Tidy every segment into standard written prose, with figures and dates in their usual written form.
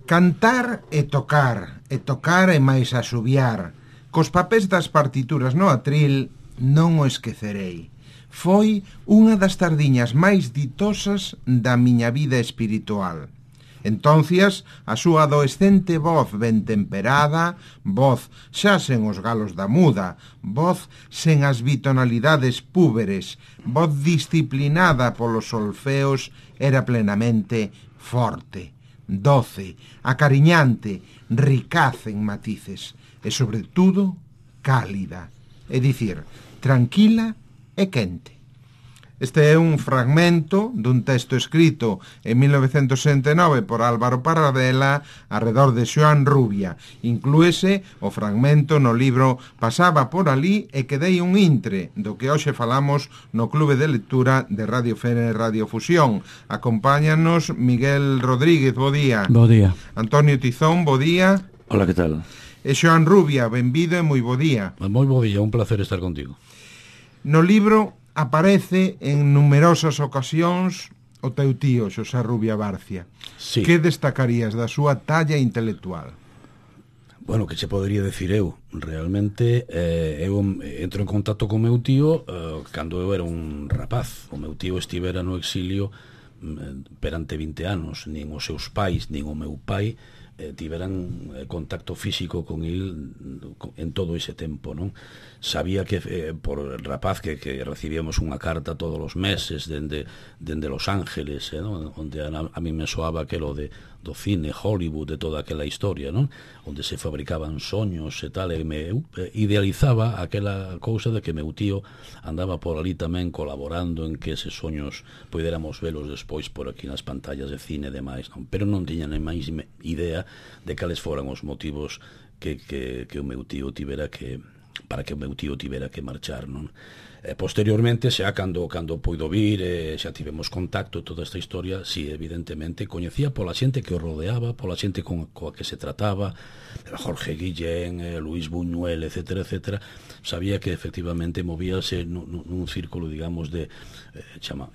Cantar e tocar e máis asubiar. Cos papéis das partituras no atril non o esquecerei. Foi unha das tardiñas máis ditosas da miña vida espiritual. Entonces, a súa adolescente voz ben temperada, voz xa sen os galos da muda, voz sen as bitonalidades púberes, voz disciplinada polos solfeos, era plenamente forte, doce, acariñante, ricaz en matices e, sobre todo, cálida, é dicir, tranquila e quente. Este é un fragmento dun texto escrito en 1969 por Álvaro Paradela arredor de Xoán Rubia. Inclúese o fragmento no libro Pasaba por alí e quedei un intre, do que hoxe falamos no Clube de Lectura de Radio Fene e Radio Fusión. Acompáñanos Miguel Rodríguez, bo día. Bo día. Antonio Tizón, bo día. Hola, que tal? E Xoán Rubia, benvido e moi bo día. Moi bo día, un placer estar contigo. No libro aparece en numerosas ocasións o teu tío, Xosé Rubia Barcia. Sí. Que destacarías da súa talla intelectual? Bueno, que che podería decir eu? Realmente, eu entro en contacto con meu tío cando eu era un rapaz. O meu tío estivera no exilio perante 20 anos. Nin os seus pais, nin o meu pai tiveran contacto físico con el en todo ese tempo, non? Sabía que por rapaz que recibíamos unha carta todos os meses dende Los Ángeles, non? Onde a mí me soaba aquelo do cine, Hollywood, de toda aquela historia, non? Onde se fabricaban soños e tal, e me idealizaba aquela cousa de que meu tío andaba por ali tamén colaborando en que eses soños poderamos velos despois por aquí nas pantallas de cine e demais, non? Pero non tiña nem máis idea de cales foran os motivos que o meu tío tivera que para que o meu tío tivera que marchar, non? Posteriormente, xa cando puido vir, xa tivemos contacto toda esta historia, si, evidentemente, coñecía pola xente que o rodeaba, pola xente coa que se trataba, Jorge Guillén, Luis Buñuel, etcétera, etcétera. Sabía que, efectivamente, movíase nun círculo, digamos, de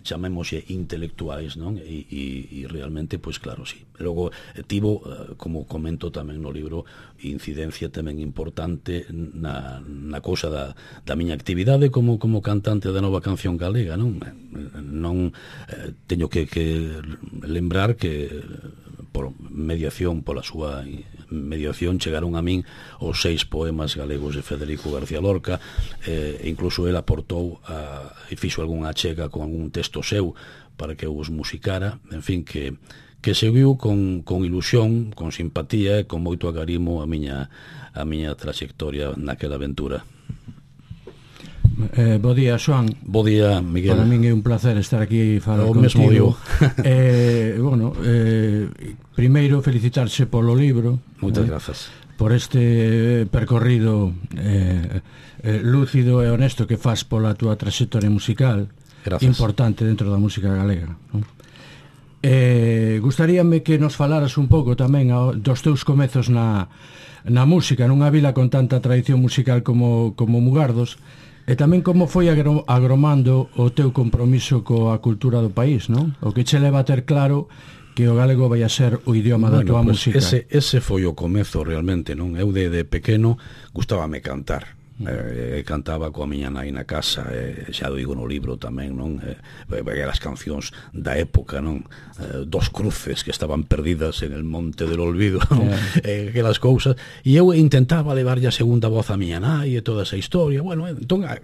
chamémoslle intelectuais, non? E realmente, pois claro, sí. Logo, tivo, como comento tamén no libro, incidencia tamén importante na cousa da miña actividade como cantante da Nova Canción Galega, non? Teño que lembrar que por mediación, pola súa mediación, chegaron a min os 6 poemas galegos de Federico García Lorca, incluso el aportou e fixo algunha achega con algún texto seu para que eu os musicara, en fin, que seguiu con ilusión, con simpatía e con moito agarimo a miña trayectoria naquela aventura. Bo día, Xoán. Bo día, Miguel. Para min é un placer estar aquí e falar contigo. Mesmo digo. Primeiro felicitarse polo libro. Moitas grazas. Por este percorrido lúcido e honesto que faz pola túa trayectoria musical. Grazas. Importante dentro da música galega, non? Gustaríame que nos falaras un pouco tamén dos teus comezos na música, nunha vila con tanta tradición musical como Mugardos, e tamén como foi agromando o teu compromiso coa cultura do país, non? O que che leva a ter claro que o galego vai a ser o idioma da tua música. Ese foi o comezo realmente, non? Eu de pequeno gustábame cantar. Cantaba coa miña nai na casa, xa digo no libro tamén, non? As cancións da época, non? Dos cruces que estaban perdidas en el monte del olvido, non? Aquelas cousas, e eu intentaba levarlle a segunda voz a miña nai e toda esa historia. Bueno, entón a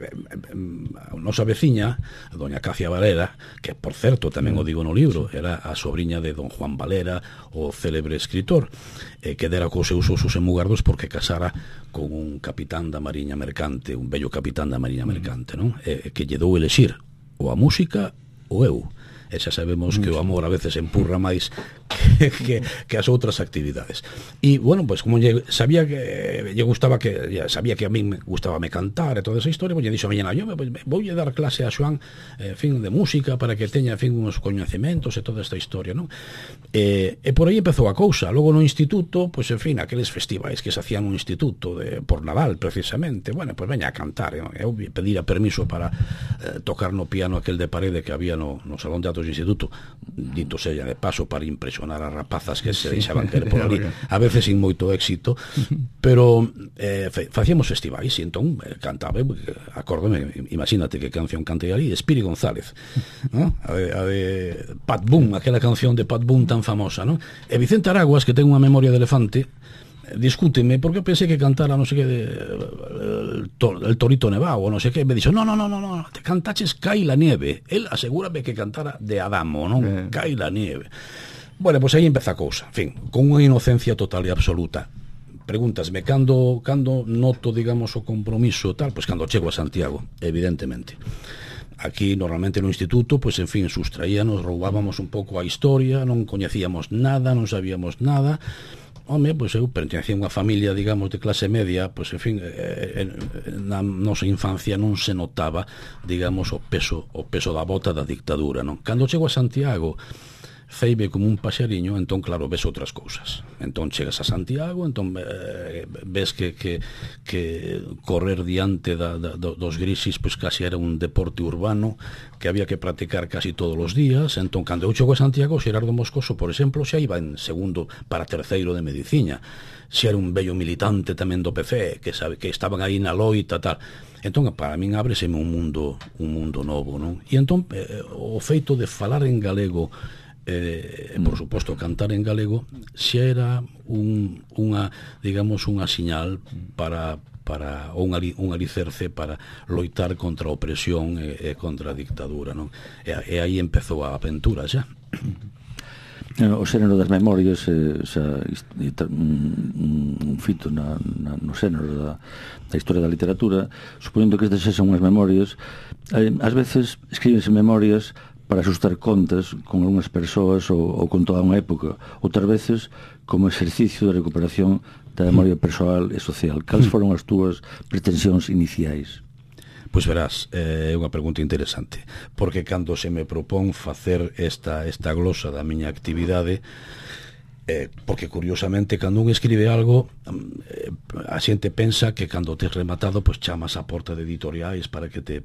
nosa veciña, a doña Cacia Valera, que por certo tamén o digo no libro, era a sobriña de don Juan Valera, o célebre escritor, que dera cos seus osos en Mugardos porque casara con un capitán da Mariña Mercante, un bello capitán da Mariña Mercante, non? Que lle dou elexir ou a música ou eu. E xa sabemos que o amor a veces empurra máis que as outras actividades. E, bueno, pois como sabía que lle gustaba sabía que a mí me gustaba me cantar e toda esa historia, pois lle dixo a miña nai, voulle dar clase a Xoán, fin, de música para que teña, fin, uns coñecementos e toda esta historia, non? E por aí empezou a cousa. Logo no instituto, pois, en fin, aqueles festivais que se hacían no instituto por Nadal, precisamente, bueno, pois veña a cantar. Eu pedira permiso para tocar no piano aquel de parede que había no Salón de teatro do instituto, dito sella de paso, para impresionar as rapazas que se deixaban querer por ali, a veces sin moito éxito, pero facíamos festivais e entón cantaba, acórdame, imagínate que canción cantei ali, Espiri González, ¿no? A de Pat Boone, aquela canción de Pat Boone tan famosa, ¿no? E Vicente Araguas, que ten unha memoria de elefante, discúteme, porque eu pensei que cantara non sei que el Torito Nevado ou non sei que, me dixo, no, te cantaches Cai la nieve. El asegúrame que cantara de Adamo, non? Cai la nieve. Bueno, pois aí empeza a cousa, en fin, con unha inocencia total e absoluta. Pregúntasme, cando noto, digamos, o compromiso tal, pois cando chego a Santiago, evidentemente. Aquí, normalmente no instituto, pois, en fin, sustraíanos, roubábamos un pouco a historia, non coñecíamos nada, non sabíamos nada. Home, pois eu pertencía a unha familia, digamos, de clase media, pois, en fin, na nosa infancia non se notaba, digamos, o peso da bota da dictadura, non? Cando chego a Santiago, feime como un paxariño, entón, claro, ves outras cousas. Entón, chegas a Santiago, entón, ves que correr diante dos grisis, pois, casi era un deporte urbano que había que practicar casi todos os días. Entón, cando eu chego a Santiago, Xerardo Moscoso, por exemplo, xa iba en segundo para terceiro de medicina. Xa era un bello militante tamén do PC, que estaban aí na loita, tal. Entón, para min ábreseme un mundo novo, non? E entón, o feito de falar en galego, por suposto cantar en galego, xa era unha siñal para un alicerce para loitar contra a opresión e contra a dictadura, non? E aí empezou a aventura xa. O xénero das memorias un fito no xénero da historia da literatura, supoñendo que estas son unhas memorias, ás veces escríbense memorias para asustar contas con algunhas persoas ou con toda unha época, outras veces como exercicio de recuperación da memoria persoal e social. Cales foron as túas pretensións iniciais? Pois verás, é unha pregunta interesante, porque cando se me propón facer esta glosa da miña actividade, porque curiosamente cando un escribe algo, a xente pensa que cando tes rematado, pois chamas a porta de editoriais para que te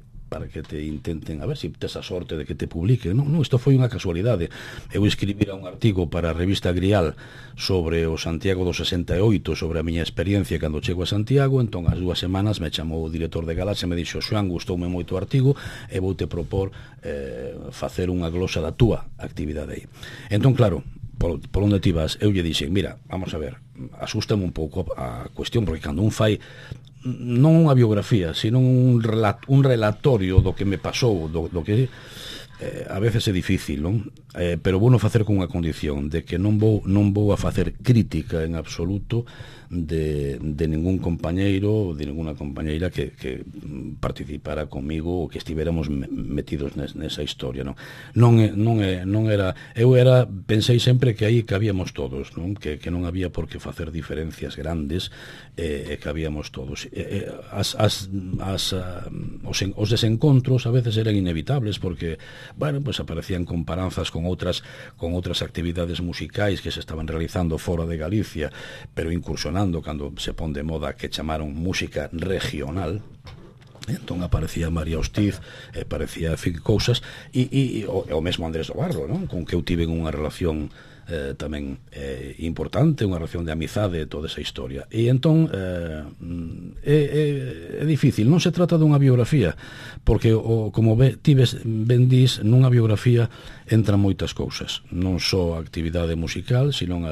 intenten, a ver se tes a sorte de que te publiquen. Non, isto foi unha casualidade. Eu escribira un artigo para a revista Grial sobre o Santiago do 68, sobre a miña experiencia cando chego a Santiago. Entón, as 2 semanas me chamou o director de Galaxia e me dixo: Xoán, gustoume moito o artigo e voute propor facer unha glosa da túa actividade aí. Entón, claro, por onde ti vas, eu lle dixen, mira, vamos a ver, asústame un pouco a cuestión, porque cando un fai non unha biografía, sino un relatorio do que me pasou, do que a veces é difícil, non? Pero vou non facer con unha condición de que non vou a facer crítica en absoluto de ningún compañeiro ou de ninguna compañeira que participara comigo ou que estivéramos metidos nesa historia, non? Non era, eu pensei sempre que aí cabíamos todos, non? Que non había por que facer diferencias grandes, e cabíamos todos. Os desencontros a veces eran inevitables porque, bueno, pues aparecían comparanzas con outras actividades musicais que se estaban realizando fora de Galicia, pero incursionando cando se pon de moda que chamaron música regional. Entón aparecía María Hostiz, aparecía cousas, e o mesmo Andrés do Barro, non? Con que eu tive unha relación tamén importante, unha relación de amizade, toda esa historia. E entón é difícil, non se trata dunha biografía, porque como ben dís, nunha biografía entran moitas cousas, non só a actividade musical, sino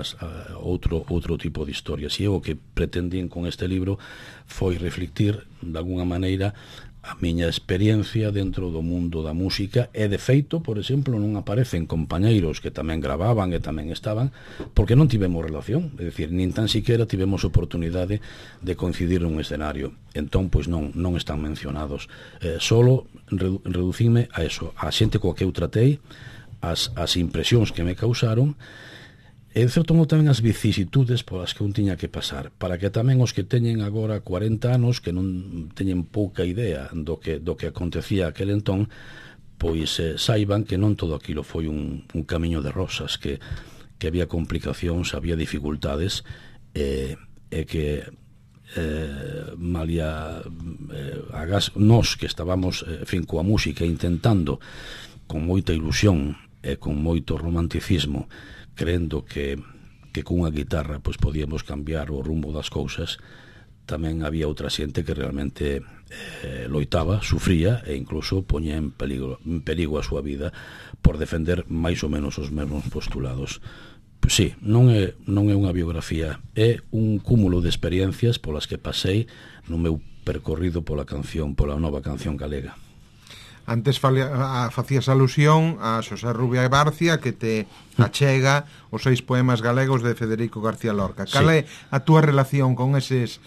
outro tipo de historias. E o que pretendín con este libro foi reflectir de alguna maneira a miña experiencia dentro do mundo da música, e de feito, por exemplo, non aparecen compañeiros que tamén gravaban e tamén estaban, porque non tivemos relación, é dicir, nin tan siquiera tivemos oportunidade de coincidir nun escenario. Entón, pois non están mencionados. Solo reducime a eso, a xente coa que eu tratei, as impresións que me causaron, e de certo modo tamén as vicisitudes polas que un tiña que pasar, para que tamén os que teñen agora 40 anos, que non teñen pouca idea do que acontecía aquel entón, pois saiban que non todo aquilo foi un camiño de rosas, que había complicacións, había dificultades, e que malia nós que estábamos, en fin, coa música intentando con moita ilusión e con moito romanticismo, creendo que cunha guitarra pois podíamos cambiar o rumbo das cousas, tamén había outra xente que realmente loitaba, sufría e incluso poñía en perigo a súa vida por defender máis ou menos os mesmos postulados. Pois sí, non é unha biografía, é un cúmulo de experiencias polas que pasei no meu percorrido pola nova canción galega. Antes facías alusión a Xosé Rubia Barcia, que te achega os 6 poemas galegos de Federico García Lorca. Cal é a túa relación con eses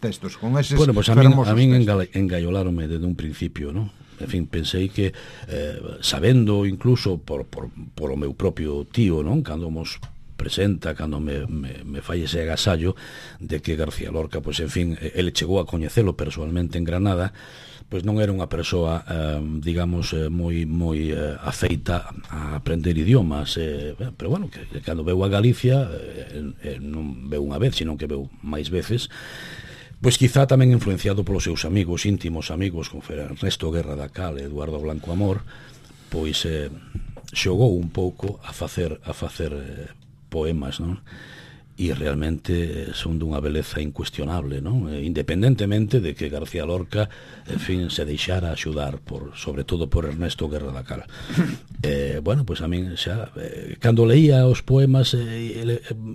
textos, con eses fermosos a min textos? engaiolaronme desde un principio, non? En fin, pensei que sabendo incluso por o meu propio tío, non? Cando mos presenta, cando me fai ese agasallo de que García Lorca, pois en fin, ele chegou a coñecelo persoalmente en Granada, pois non era unha persoa, digamos, moi afeita a aprender idiomas, pero bueno, que cando veu a Galicia, non veu unha vez, sino que veu máis veces, pois quizá tamén influenciado polos seus amigos, íntimos amigos, como foi Ernesto Guerra da Cal e Eduardo Blanco Amor, pois xogou un pouco a facer poemas, non? E realmente son dunha beleza incuestionable, non? Independentemente de que García Lorca, en fin, se deixara axudar sobre todo por Ernesto Guerra da Cal. Bueno, pois a min xa cando leía os poemas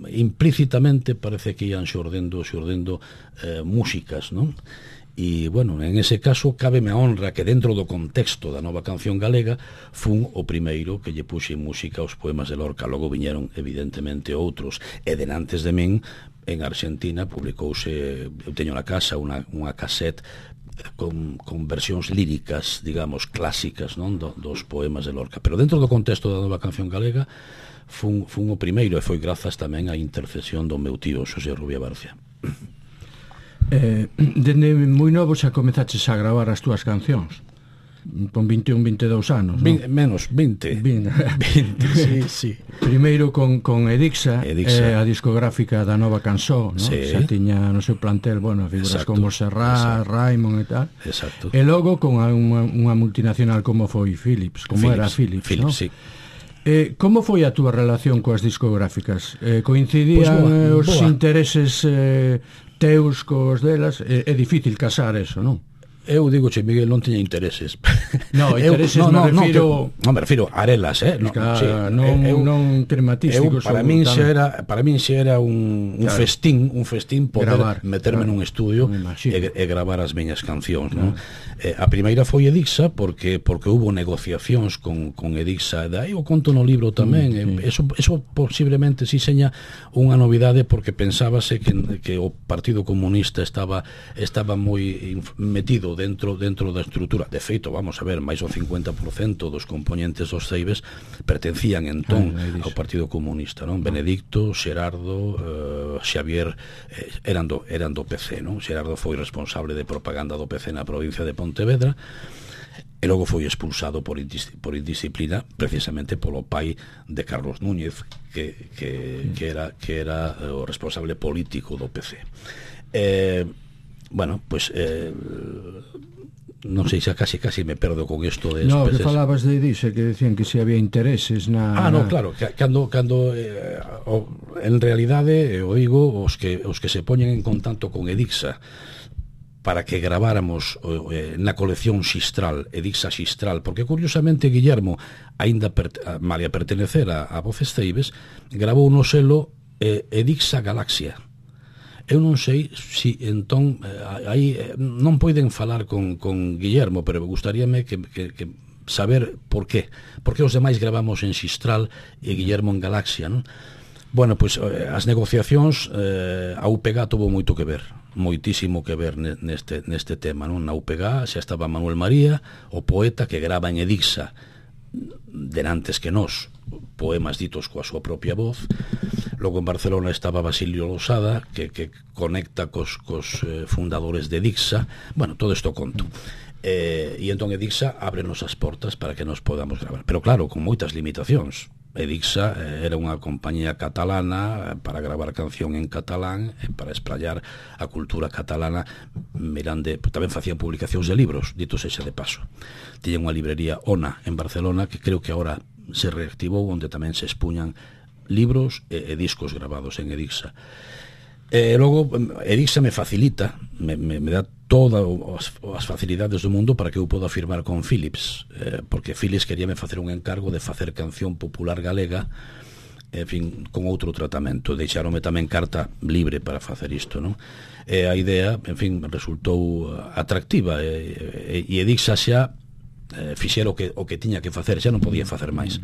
implícitamente parece que ian xordendo músicas, non? E, bueno, en ese caso cábeme a honra que dentro do contexto da nova canción galega fun o primeiro que lle puxe música aos poemas de Lorca. Logo viñeron evidentemente outros, e denantes de min en Argentina publicouse, eu teño na casa unha cassette con versións líricas, digamos, clásicas, non, dos poemas de Lorca, pero dentro do contexto da nova canción galega fun o primeiro, e foi grazas tamén á intercesión do meu tío Xosé Rubia Barcia. Dende moi novo xa comezaches a gravar as túas cancións con 21, 22 anos, non? Menos, 20 sí. Primeiro con Edixa, a discográfica da Nova Cançó, non? Sí. Xa tiña no seu plantel, bueno, figuras como Serrat, Raimon e tal. Exacto. E logo con unha multinacional como foi Philips, era Philips, non? Sí. Como foi a túa relación coas discográficas? Coincidían os intereses teus cos delas? É difícil casar eso, non? Eu digo, Miguel, non tiña intereses. No, intereses me refiro a arelas, non crematísticos. Para min xa era un festín poder meterme nun estudio e gravar as miñas cancións, non? A primeira foi Edixa porque hubo negociacións con Edixa, e aí o conto no libro tamén. Eso posiblemente si seña unha novidade, porque pensábase que o Partido Comunista estaba moi metido dentro da estrutura. De feito, vamos a ver, máis do 50% dos componentes dos Ceibes pertencían entón ao Partido Comunista, non? Benedicto, Xerardo, Xavier eran do PC, non? Xerardo foi responsable de propaganda do PC na provincia de Pontevedra, e logo foi expulsado por indisciplina precisamente polo pai de Carlos Núñez, que era o responsable político do PC. Bueno, pois non sei, xa casi me perdo con isto de no, que falabas de Edixa, que decían que se había intereses no, claro, cando en realidade o digo, os que se poñen en contacto con Edixa para que graváramos na colección Xistral, Edixa Xistral, porque curiosamente Guillermo, aínda malia pertenecer a Voces Ceibes, gravou no selo Edixa Galaxia. Eu non sei se entón aí non poden falar con Guillermo, pero gustaríame que saber por qué os demais gravamos en Xistral e Guillermo en Galaxia, non? Bueno, pois as negociacións, a UPG tuvo moito que ver, moitísimo que ver neste tema, non? Na UPG xa estaba Manuel María, o poeta que grava en Edixa denantes que nós, poemas ditos coa súa propia voz. Logo en Barcelona estaba Basilio Losada, que conecta cos fundadores de Edixa. Bueno, todo isto conto. E entón Edixa ábrenos as portas para que nos podamos gravar, pero claro, con moitas limitacións. Edixa era unha compañía catalana para gravar canción en catalán, para esprallar a cultura catalana. Mirande, tamén facían publicacións de libros, dito sexa de paso. Tiña unha librería ONA en Barcelona, que creo que agora se reactivou, onde tamén se expuñan libros e discos grabados en Edixa. Logo, Edixa me facilita, me dá todas as facilidades do mundo para que eu poda firmar con Philips, porque Philips queríame facer un encargo de facer canción popular galega, en fin, con outro tratamento. Deixaronme tamén carta libre para facer isto, non? A idea, en fin, resultou atractiva, e Edixa xa fixera o que tiña que facer, xa non podía facer máis.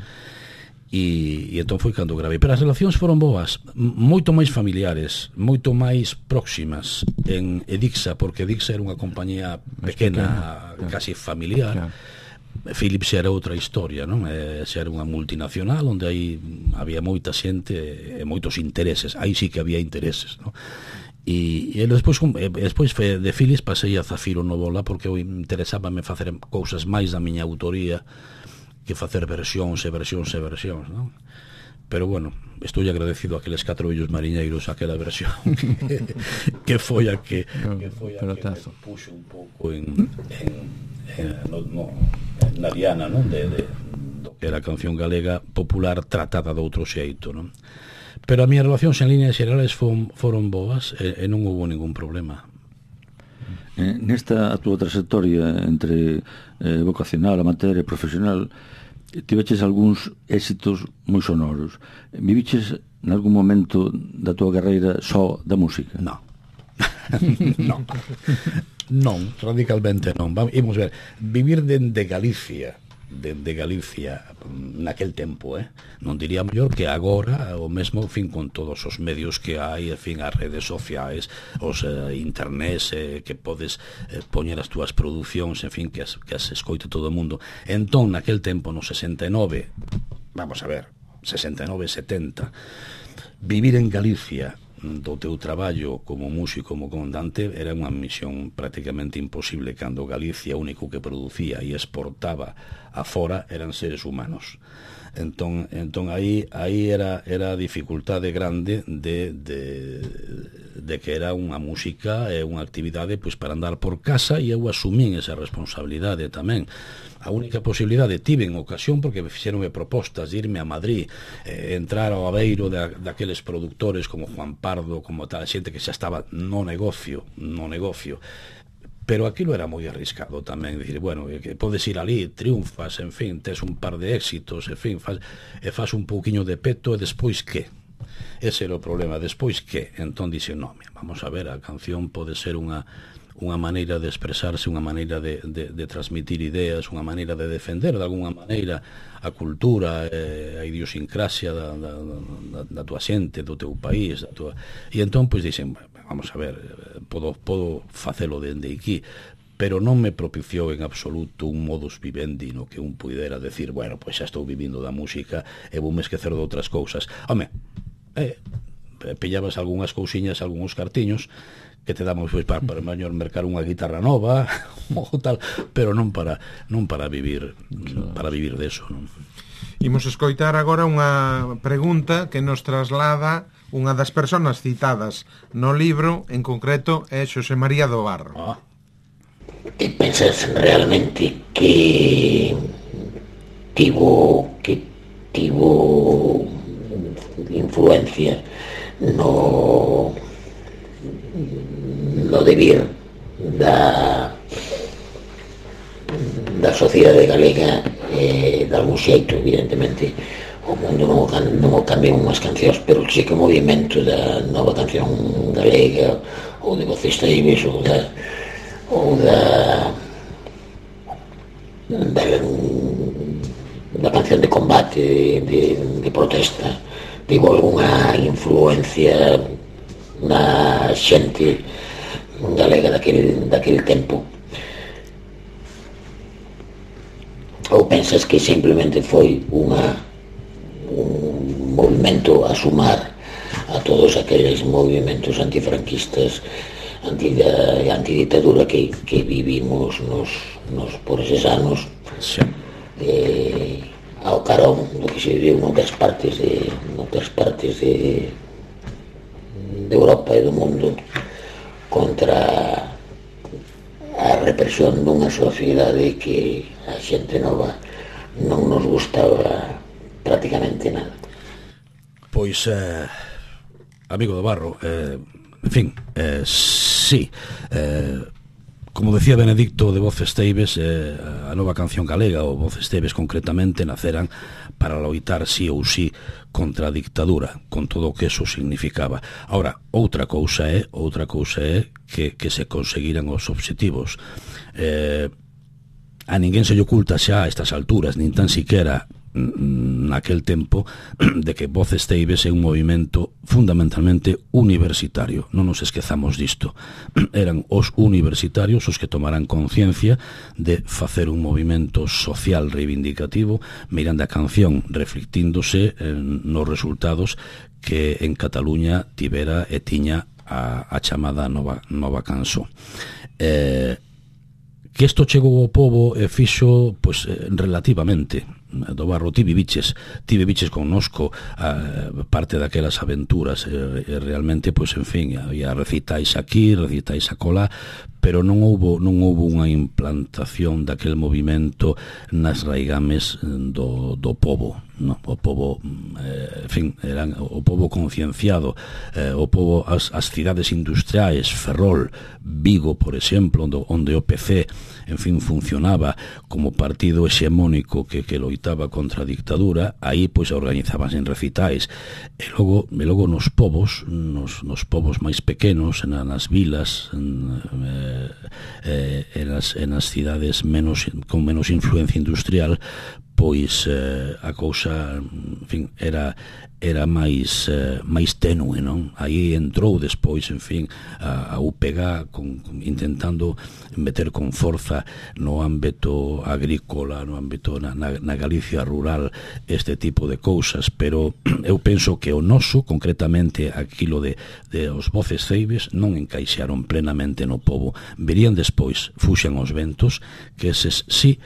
E entón foi cando gravei. Pero as relacións foron boas, moito máis familiares, moito máis próximas en Edixa, porque Edixa era unha compañía pequena, casi familiar. Philips era outra historia, non? Xa era unha multinacional onde aí había moita xente e moitos intereses. Aí sí que había intereses, non? E despois de Philips pasei a Zafiro Novola, porque eu interesábame facer cousas máis da miña autoría que facer versións e versións e versións, non? Pero bueno, estou agradecido a aqueles 4 vellos mariñeiros, aquela versión que foi a que me puxo un pouco na diana, non? Do que era a canción galega popular tratada de outro xeito, non? Pero as miñas relacións en líneas xerales foron boas e non houve ningún problema. Nesta a túa trayectoria entre vocacional, amateur e profesional, tiveches algúns éxitos moi sonoros. Viviches en algún momento da túa carreira só da música? Non. Non, radicalmente non. Imos ver, vivir dende Galicia naquel tempo, non diría mellor que agora, o mesmo, en fin, con todos os medios que hai, en fin, as redes sociais, os internets, que podes poñer as túas producións, en fin, que as escoite todo o mundo. Entón, naquel tempo, no 69, vamos a ver, 69, 70, vivir en Galicia do teu traballo como músico, como comandante, era unha misión prácticamente imposible, cando Galicia o único que producía e exportaba a fora eran seres humanos. Entón aí era a dificultade grande de que era unha música e unha actividade pois para andar por casa, e eu asumín esa responsabilidade tamén. A única posibilidade tive en ocasión, porque me fixeronme propostas de irme a Madrid, entrar ao aveiro daqueles productores como Juan Pardo, como tal xente que xa estaba no negocio, pero aquilo era moi arriscado tamén, dicir, bueno, que podes ir ali, triunfas, en fin, tes un par de éxitos, en fin, faz un pouquiño de peto, e despois que? Ese era o problema, despois que? Entón dixen, non, vamos a ver, a canción pode ser unha maneira de expresarse, unha maneira de transmitir ideas, unha maneira de defender de alguna maneira a cultura, a idiosincrasia da tua xente, do teu país, e entón pois dixen, vamos a ver, podo facelo dende aquí, pero non me propiciou en absoluto un modus vivendi no que un puidera decir, bueno, pois xa estou vivindo da música e voume esquecer de outras cousas. Home, pillabas algunhas cousiñas, algúns cartiños que te damos pois para mellor mercar unha guitarra nova ou tal, pero non para vivir deso, non? Imos escoitar agora unha pregunta que nos traslada unha das persoas citadas no libro, en concreto é Xosé María do Barro. Ti pensas realmente que tivo influencia no devir da sociedade galega, de algún xeito, evidentemente o mundo non o cambian unhas cancións, pero sí que o movimento da nova canción galega ou de Voces Traíbles ou da canción de combate, de protesta, tivo algunha influencia na xente galega daquele tempo, ou pensas que simplemente foi un movimento a sumar a todos aqueles movimentos antifranquistas, antiditadura que vivimos nos por eses anos, ao carón do que se viviu noutras partes de Europa e do mundo contra a represión dunha sociedade que a xente nova non nos gustaba prácticamente nada. Pois, amigo do Barro, en fin, sí, como decía Benedicto de Voces Teibes, a nova canción galega, ou Voces Teibes concretamente, naceran para loitar sí ou sí contra a dictadura, con todo o que eso significaba. Ahora, outra cousa é que se conseguiran os obxectivos. A ninguén se lle oculta xa a estas alturas, nin tan siquera naquel tempo, de que Voces Teibes é un movimento fundamentalmente universitario. Non nos esquezamos disto. Eran os universitarios os que tomarán conciencia de facer un movimento social reivindicativo, mirando a canción, reflectíndose nos resultados que en Cataluña tivera e tiña a chamada nova canción. Que isto chegou ao pobo e fixo, pois, relativamente. Do Barro, ti viviches connosco parte daquelas aventuras, realmente, pois, en fin, había recitais aquí, recitais acolá, pero non houbo unha implantación daquel movimento nas raigames do pobo, no? O pobo, en fin, eran o pobo concienciado, o pobo, as cidades industriais, Ferrol, Vigo, por exemplo, onde o PC, en fin, funcionaba como partido hexemónico que loitaba contra a dictadura, aí pois organizábanse en recitais, e logo nos povos máis pequenos, nas vilas, en as cidades con menos influencia industrial, pois a cousa, en fin, era máis tenue, non? Aí entrou despois, en fin, a UPG intentando meter con forza no ámbito agrícola, no ámbito na Galicia rural, este tipo de cousas, pero eu penso que o noso, concretamente aquilo de os Voces Teibes, non encaixaron plenamente no pobo. Verían despois, fuxan os ventos, que eses sí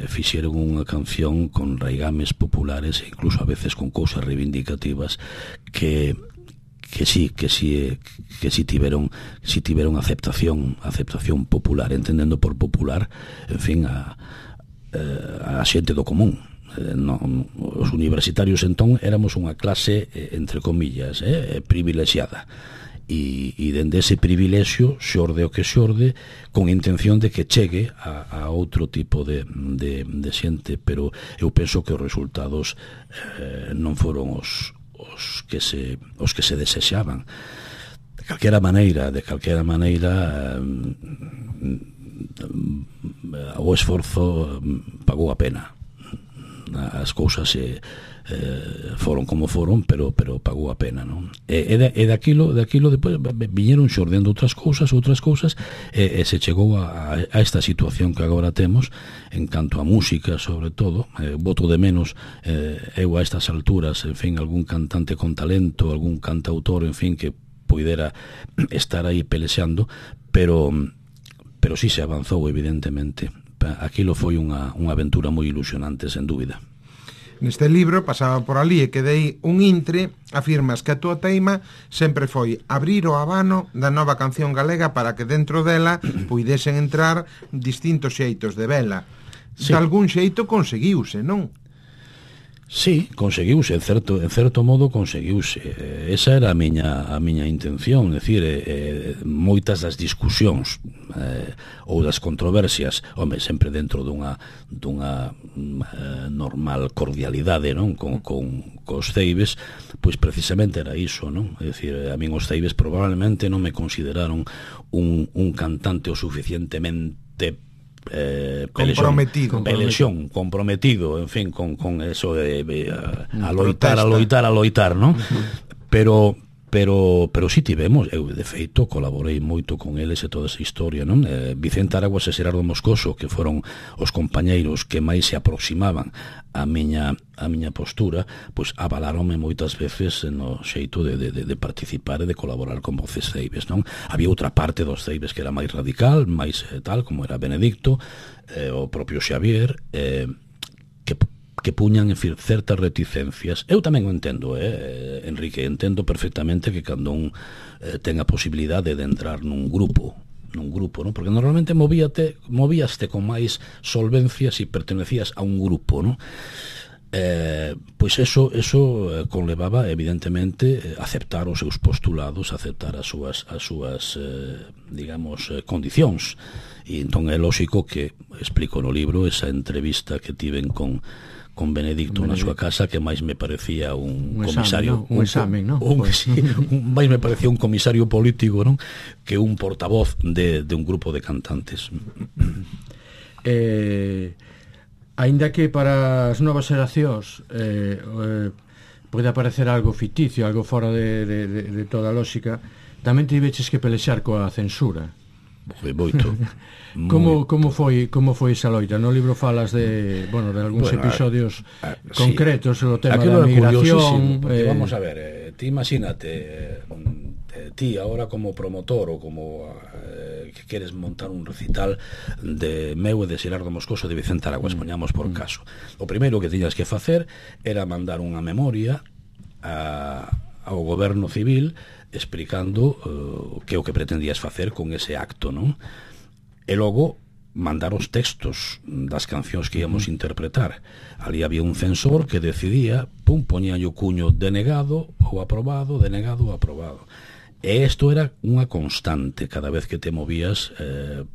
fixeron unha canción con raigames populares e incluso a veces con cousas reivindicativas que sí tiveron aceptación popular, entendendo por popular, en fin, a xente do común. Os universitarios entón éramos unha clase, entre comillas, privilexiada, e dende ese privilexio xorde o que xorde, con intención de que chegue a outro tipo de xente, pero eu penso que os resultados non foron os que se desexaban. De calquera maneira, o esforzo pagou a pena. As cousas foron como foron, pero pagou a pena, non? E daquilo depois viñeron xordendo outras cousas, e se chegou a esta situación que agora temos en canto a música, sobre todo. Boto de menos eu a estas alturas, en fin, algún cantante con talento, algún cantautor, en fin, que puidera estar aí pelexando, pero sí se avanzou, evidentemente. Aquilo foi unha aventura moi ilusionante, sen dúbida. Neste libro, pasaba por ali e quedei un intre, afirmas que a túa teima sempre foi abrir o abano da nova canción galega para que dentro dela puidesen entrar distintos xeitos de vela. Sí. De algún xeito conseguiuse, non? Sí, conseguiuse, en certo modo conseguiuse. Esa era a miña intención, decir, moitas das discusións ou das controversias, home, sempre dentro dunha normal cordialidade, non? Cos Teibes, pois precisamente era iso, non? É dicir, a min os Teibes probablemente non me consideraron un cantante o suficientemente comprometido, en fin, con eso de a loitar, non? Pero sí tivemos, eu de feito colaborei moito con eles e toda esa historia, non? Vicente Araguas e Xerardo Moscoso, que foron os compañeiros que máis se aproximaban a miña postura, pois avaláronme moitas veces no xeito de participar e de colaborar con Voces Teibes, non? Había outra parte dos Teibes que era máis radical, máis tal, como era Benedicto, o propio Xavier, que puñan, en fin, certas reticencias. Eu tamén o entendo, Enrique, entendo perfectamente que cando un ten a posibilidade de entrar nun grupo, non? Porque normalmente movíaste con máis solvencia se pertenecías a un grupo, non? Pois eso conlevaba evidentemente aceptar os seus postulados, aceptar as súas digamos, condicións, e entón é lógico que explico no libro esa entrevista que tiven con Benedicto na súa casa, que máis me parecía un comisario, máis me parecía un comisario político, non, que un portavoz de un grupo de cantantes. Aínda que para as novas xeracións pode aparecer algo ficticio, algo fora de toda a lógica, tamén tiveches que pelexar coa censura. Moito. Como foi esa loita? No libro falas de algúns episodios concretos sobre o tema da migración. Vamos a ver, ti imagínate, ti ahora como promotor ou como que queres montar un recital de meu e de Xerardo Moscoso de Vicente Araguas, poñamos por caso. O primeiro que tiñas que facer era mandar unha memoria ao goberno civil explicando que é o que pretendías facer con ese acto, non? E logo mandar os textos das cancións que íamos interpretar. Ali había un censor que decidía, poñía o cuño denegado ou aprobado, denegado ou aprobado. E isto era unha constante cada vez que te movías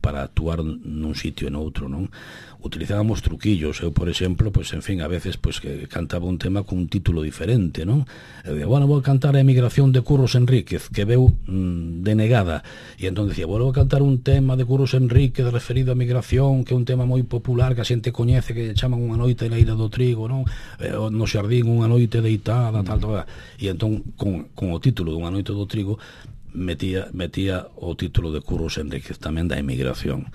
para actuar nun sitio e noutro, non? Utilizábamos truquillos. Eu, por exemplo, pois, en fin, a veces pois, que cantaba un tema con un título diferente, non? Eu dicía, bueno, vou cantar a emigración de Curros Enríquez, que veu denegada. E entón dicía, bueno, vou cantar un tema de Curros Enríquez referido á migración, que é un tema moi popular, que a xente coñece, que chaman Unha noite na Ira do Trigo, non? No xardín, Unha noite deitada, tal. E entón, con o título de Unha noite do Trigo, metía o título de Curros Enríquez tamén da emigración.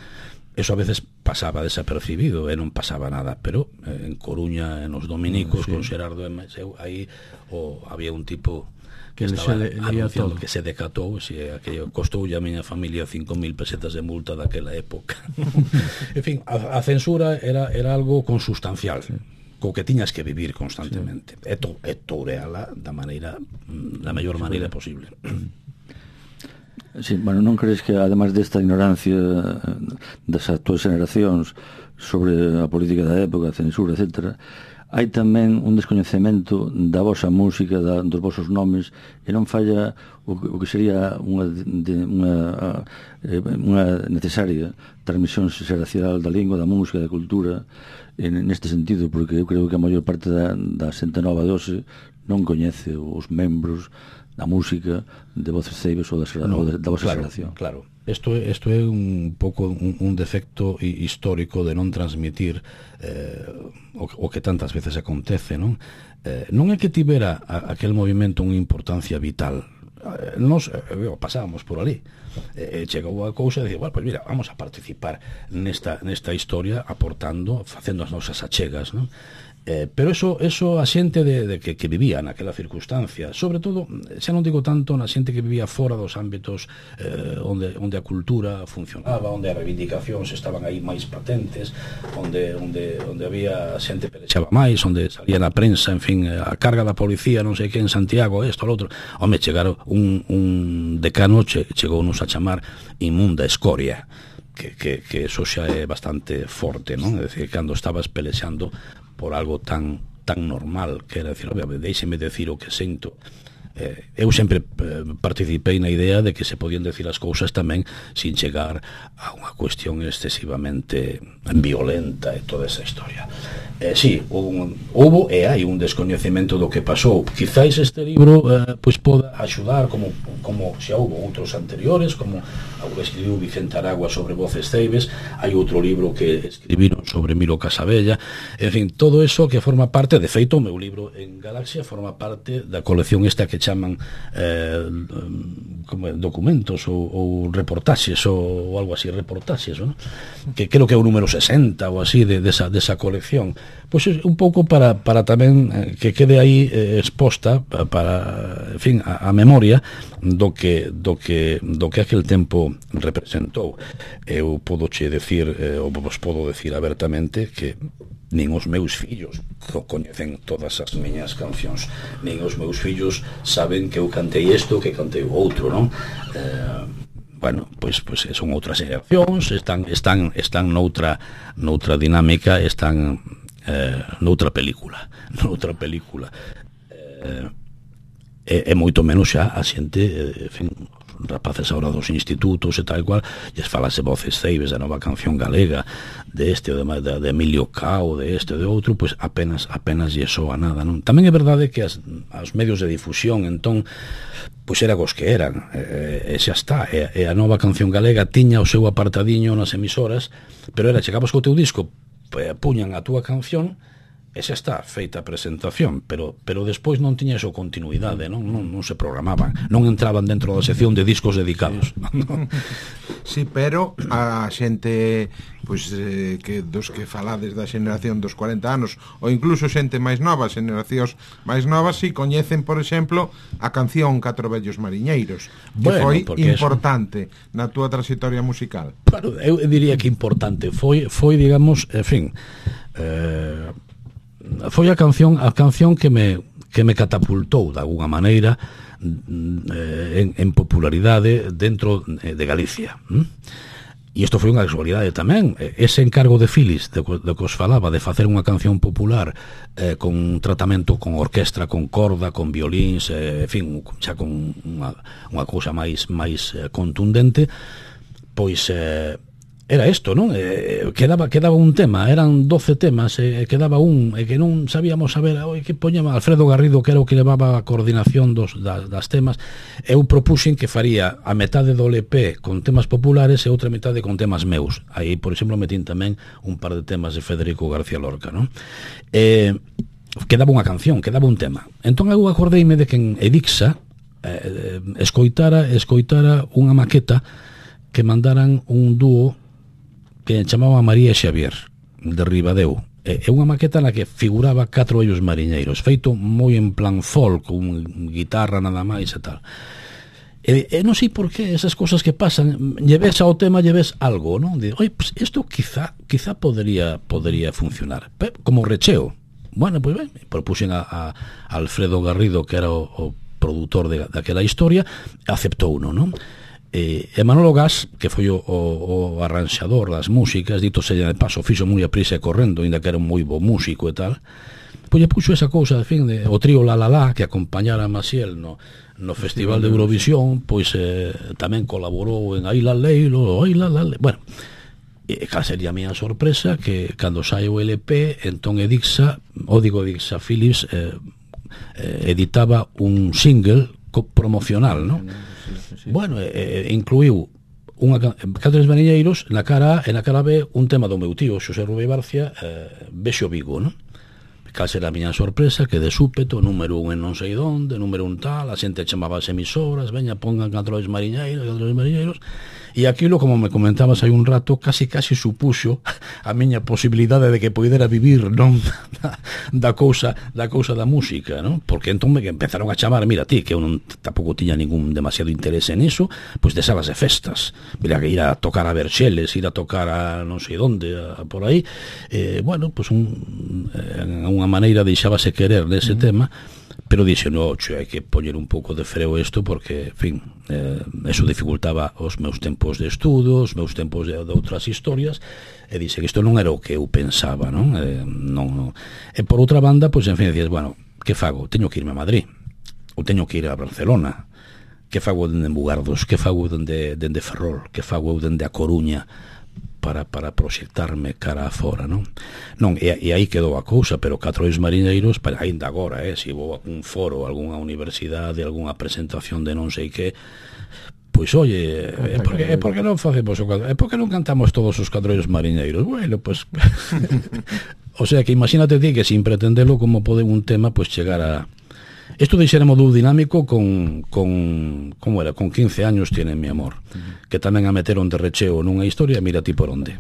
Eso a veces pasaba desapercibido e non pasaba nada, pero en Coruña, en os dominicos, con Xerardo e aí había un tipo que estaba anunciando que se decatou, que costou a miña familia 5.000 pesetas de multa daquela época. En fin, a censura era algo consustancial, co que tiñas que vivir constantemente, e toureala da mellor maneira posible. Sí, bueno, non crees que ademais desta ignorancia das actuais generacións sobre a política da época, a censura, etc., hai tamén un descoñecemento da vosa música, dos vosos nomes, e non falla o que sería unha necesaria transmisión xeracional da lingua, da música, da cultura, neste sentido, porque eu creo que a maior parte da xente nova de hoxe non coñece os membros da música de Voces Ceibes ou da vosa xeración. Claro, isto é un pouco un defecto histórico de non transmitir o que tantas veces acontece, non? Non é que tivera aquel movimento unha importancia vital. Nos pasábamos por ali, chegou a cousa e dicía, bueno, pues mira, vamos a participar nesta historia, aportando, facendo as nosas achegas, non? Pero eso a xente de que vivía naquela circunstancia, sobre todo, xa non digo tanto na xente que vivía fora dos ámbitos onde a cultura funcionaba, onde as reivindicacións estaban aí máis patentes, onde había xente que pelexaba máis, onde salía na prensa, en fin, a carga da policía, non sei que en Santiago, isto, lo outro. Home, chegaron un decano chegounos a chamar inmunda escoria, que eso xa é bastante forte, non? É dicir, cando estabas pelexando por algo tan normal, que era decir, déixeme decir o que sinto. Eu sempre participei na idea de que se podían decir as cousas tamén sin chegar a unha cuestión excesivamente violenta e toda esa historia. Sí, houbo e hai un descoñecemento do que pasou. Quizáis este libro pois poda axudar, como xa houbo outros anteriores, como o que escribiu Vicente Aragua sobre Voces Ceibes, hai outro libro que escribiron sobre Miro Casabella, en fin, todo eso que forma parte, de feito, o meu libro en Galaxia forma parte da colección esta que chaman documentos ou reportaxes ou algo así, reportaxes, ¿no? Que creo que é o número 60 ou así desa colección. Pois un pouco para tamén que quede aí exposta para, en fin, a memoria do que aquel tempo representou. Eu podoche decir, ou vos podo decir abertamente que nin os meus fillos coñecen todas as miñas cancións, nin os meus fillos saben que eu cantei isto, que cantei o outro, non? Bueno, pois son outras xeracións, están noutra dinámica, están noutra película é moito menos xa a xente, en fin, rapaces agora dos institutos e tal cual, lles falase voces ceibes da nova canción galega, de este ou de Emilio Cao, de este ou de outro, pois apenas lle soa nada, non? Tamén é verdade que os medios de difusión entón pois era cos que eran, e xa está, e a nova canción galega tiña o seu apartadiño nas emisoras, pero era, chegabas co teu disco, puñan a túa canción e xa está, feita a presentación, pero despois non tiña eso continuidade, non se programaban, non entraban dentro da sección de discos dedicados. Sí, pero a xente pois que dos que falades da xeneración dos 40 anos ou incluso xente máis nova, xeneracións máis novas, si coñecen, por exemplo, a canción Catro vellos mariñeiros, que foi importante na túa trayectoria musical. Claro, eu diría que importante foi digamos, en fin, foi a canción que me catapultou de alguna maneira en popularidade dentro de Galicia. E isto foi unha casualidade tamén. Ese encargo de Phyllis, do que os falaba, de facer unha canción popular con un tratamento con orquestra, con corda, con violíns, en fin, xa con unha cousa máis contundente, pois era isto, non? Quedaba un tema, eran 12 temas, quedaba un, e que non sabíamos saber, que poñema Alfredo Garrido, que era o que levaba a coordinación das temas. Eu propuxen que faría a metade do LP con temas populares e outra metade con temas meus. Aí, por exemplo, metín tamén un par de temas de Federico García Lorca, non? Quedaba unha canción, quedaba un tema. Entón eu acordeime de que en Edixa escoitara unha maqueta que mandaran un dúo que chamaba María e Xavier, de Ribadeo. É unha maqueta na que figuraba Catro vellos mariñeiros, feito moi en plan folk, con guitarra nada máis e tal. E non sei por que esas cosas que pasan, lleves ao tema, lleves algo, non? Oi, pues isto quizá podría funcionar, como recheo. Bueno, pois ben, propuxen a Alfredo Garrido, que era o produtor daquela historia, aceptou uno, non? E Manolo Gas, que foi o arranxador das músicas, dito sella de paso, fixo moi a prisa e correndo, ainda que era un moi bo músico e tal, pois lle puxo esa cousa, en fin, o trío La La La, que acompañara a Maciel no Festival de Eurovisión, pois tamén colaborou en Ai La Leilo, Ai La La Leilo. Bueno, cal sería a miña sorpresa que cando sai o LP, entón Edixa Philips editaba un single promocional, non? Bueno, incluiu Catro vellos mariñeiros na cara A e na cara B un tema do meu tío Xosé Rubén Barcia, Vexo Vigo, non? Cal será a miña sorpresa que de súpeto, número 1 en non sei donde, número 1 tal, a xente chamaba as emisoras, veña, pongan Catro vellos mariñeiros, e aquilo, como me comentabas hai un rato, casi supuxo a miña posibilidade de que poidera vivir, non, da cousa da música, non? Porque entón me empezaron a chamar, mira ti, que eu tampouco tiña ningún demasiado interés en eso, pois de salas de festas, mira, que ir a tocar a Verxeles, ir a tocar a non sei donde, por aí, bueno, pois unha maneira deixábase querer nese tema, pero dixe, no, hai que poñer un pouco de freo isto porque, en fin, eso dificultaba os meus tempos de estudo, os meus tempos de outras historias, e dixe que isto non era o que eu pensaba, non? E por outra banda, pois, en fin, dices, bueno, que fago? Teño que irme a Madrid, ou teño que ir a Barcelona, que fago dende Mugardos, que fago dende Ferrol, que fago eu dende a Coruña, para proxectarme cara a fora, non? Non, e aí quedou a cousa, pero Catro vellos mariñeiros, ainda agora, se vou a un foro, algunha universidade, algunha presentación de non sei que, pois, oye, por que non facemos por que non cantamos todos os Catro vellos mariñeiros? Bueno, pois o sea, que imagínate ti que sin pretendelo como pode un tema pois chegar a... Isto deixéramos do dinámico con 15 años tiene mi amor, que tamén a meteron de recheo nunha historia, mira ti por onde.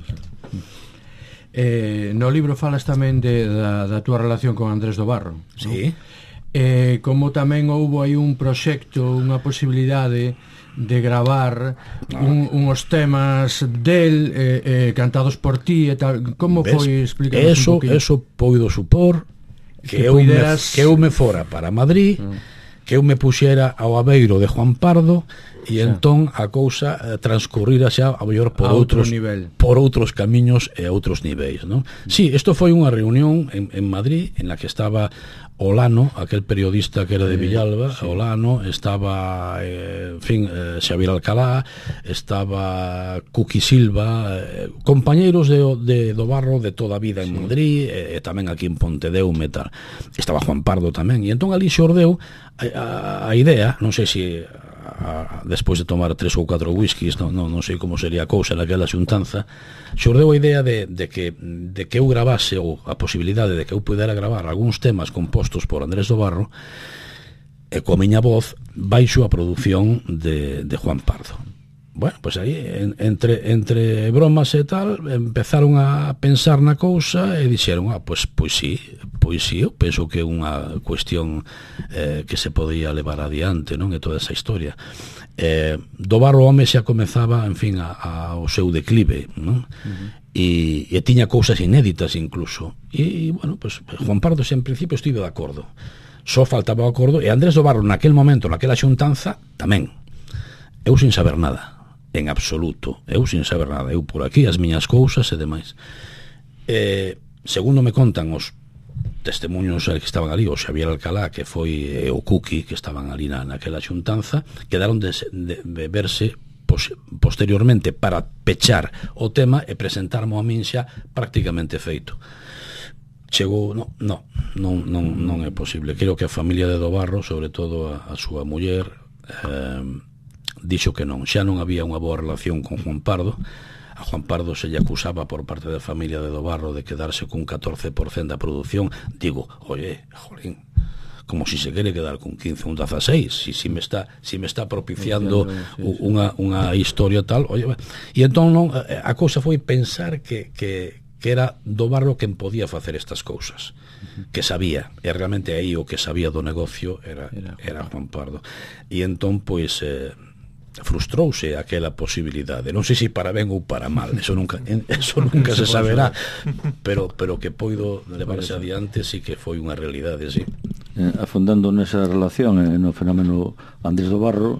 No libro falas tamén da túa relación con Andrés do Barro, sí, ¿no? Como tamén houbo aí un proxecto, unha posibilidade de gravar uns temas del cantados por ti e tal. Como foi? Explícanos un poquinho. Eso poido supor que eu me fora para Madrid, que eu me puxera ao abeiro de Juan Pardo e entón a cousa transcurrira xa a mellor por outros camiños e outros niveis, non? Sí, isto foi unha reunión en Madrid en la que estaba Olano, aquel periodista que era de Villalba, Olano, estaba Xavier Alcalá, estaba Cuqui Silva, compañeiros do barro de toda a vida en Madrid, e tamén aquí en Pontedeume, tal. Estaba Juan Pardo tamén, e entón ali xordeu a idea, non sei se despois de tomar 3 ou 4 whiskies, non sei como sería a cousa naquela xuntanza, xordeu a idea de que eu gravase, ou a posibilidade de que eu pudera gravar algúns temas compostos por Andrés do Barro e coa miña voz baixo a produción de Juan Pardo. Bueno, pois aí entre bromas e tal empezaron a pensar na cousa e dixeron, pois sí, eu penso que é unha cuestión que se podía levar adiante, non? E toda esa historia. Do Barro home xa comezaba, en fin, ao seu declive, non? E tiña cousas inéditas incluso. E bueno, pois Juan Pardo en principio estive de acordo. Só faltaba o acordo, e Andrés do Barro naquel momento, naquela xuntanza, tamén. Eu sin saber nada. En absoluto, eu sin saber nada, eu por aquí as miñas cousas e demais. Segundo me contan os testemunhos que estaban ali, o Xavier Alcalá, que foi o Cuqui, que estaban ali naquela xuntanza, quedaron de verse posteriormente para pechar o tema e presentarmo a min xa prácticamente feito. Chegou, non é posible. Creo que a familia de Do Barro, sobre todo a súa muller, dixo que non, xa non había unha boa relación con Juan Pardo. A Juan Pardo se lle acusaba por parte da familia de Do Barro de quedarse cun 14% da produción. Digo, oye, jolín, como si se quere quedar con 15, un 16, si me está propiciando unha historia tal, oye, e entón non, a cousa foi pensar que era Do Barro quen podía facer estas cousas, que sabía, e realmente aí o que sabía do negocio era Juan Pardo. E entón, pois, frustrouse aquela posibilidade, non sei se para ben ou para mal, eso nunca se saberá, pero que poido levarse adiante sí que foi unha realidade, sí. Afondando nesa relación no fenómeno Andrés do Barro,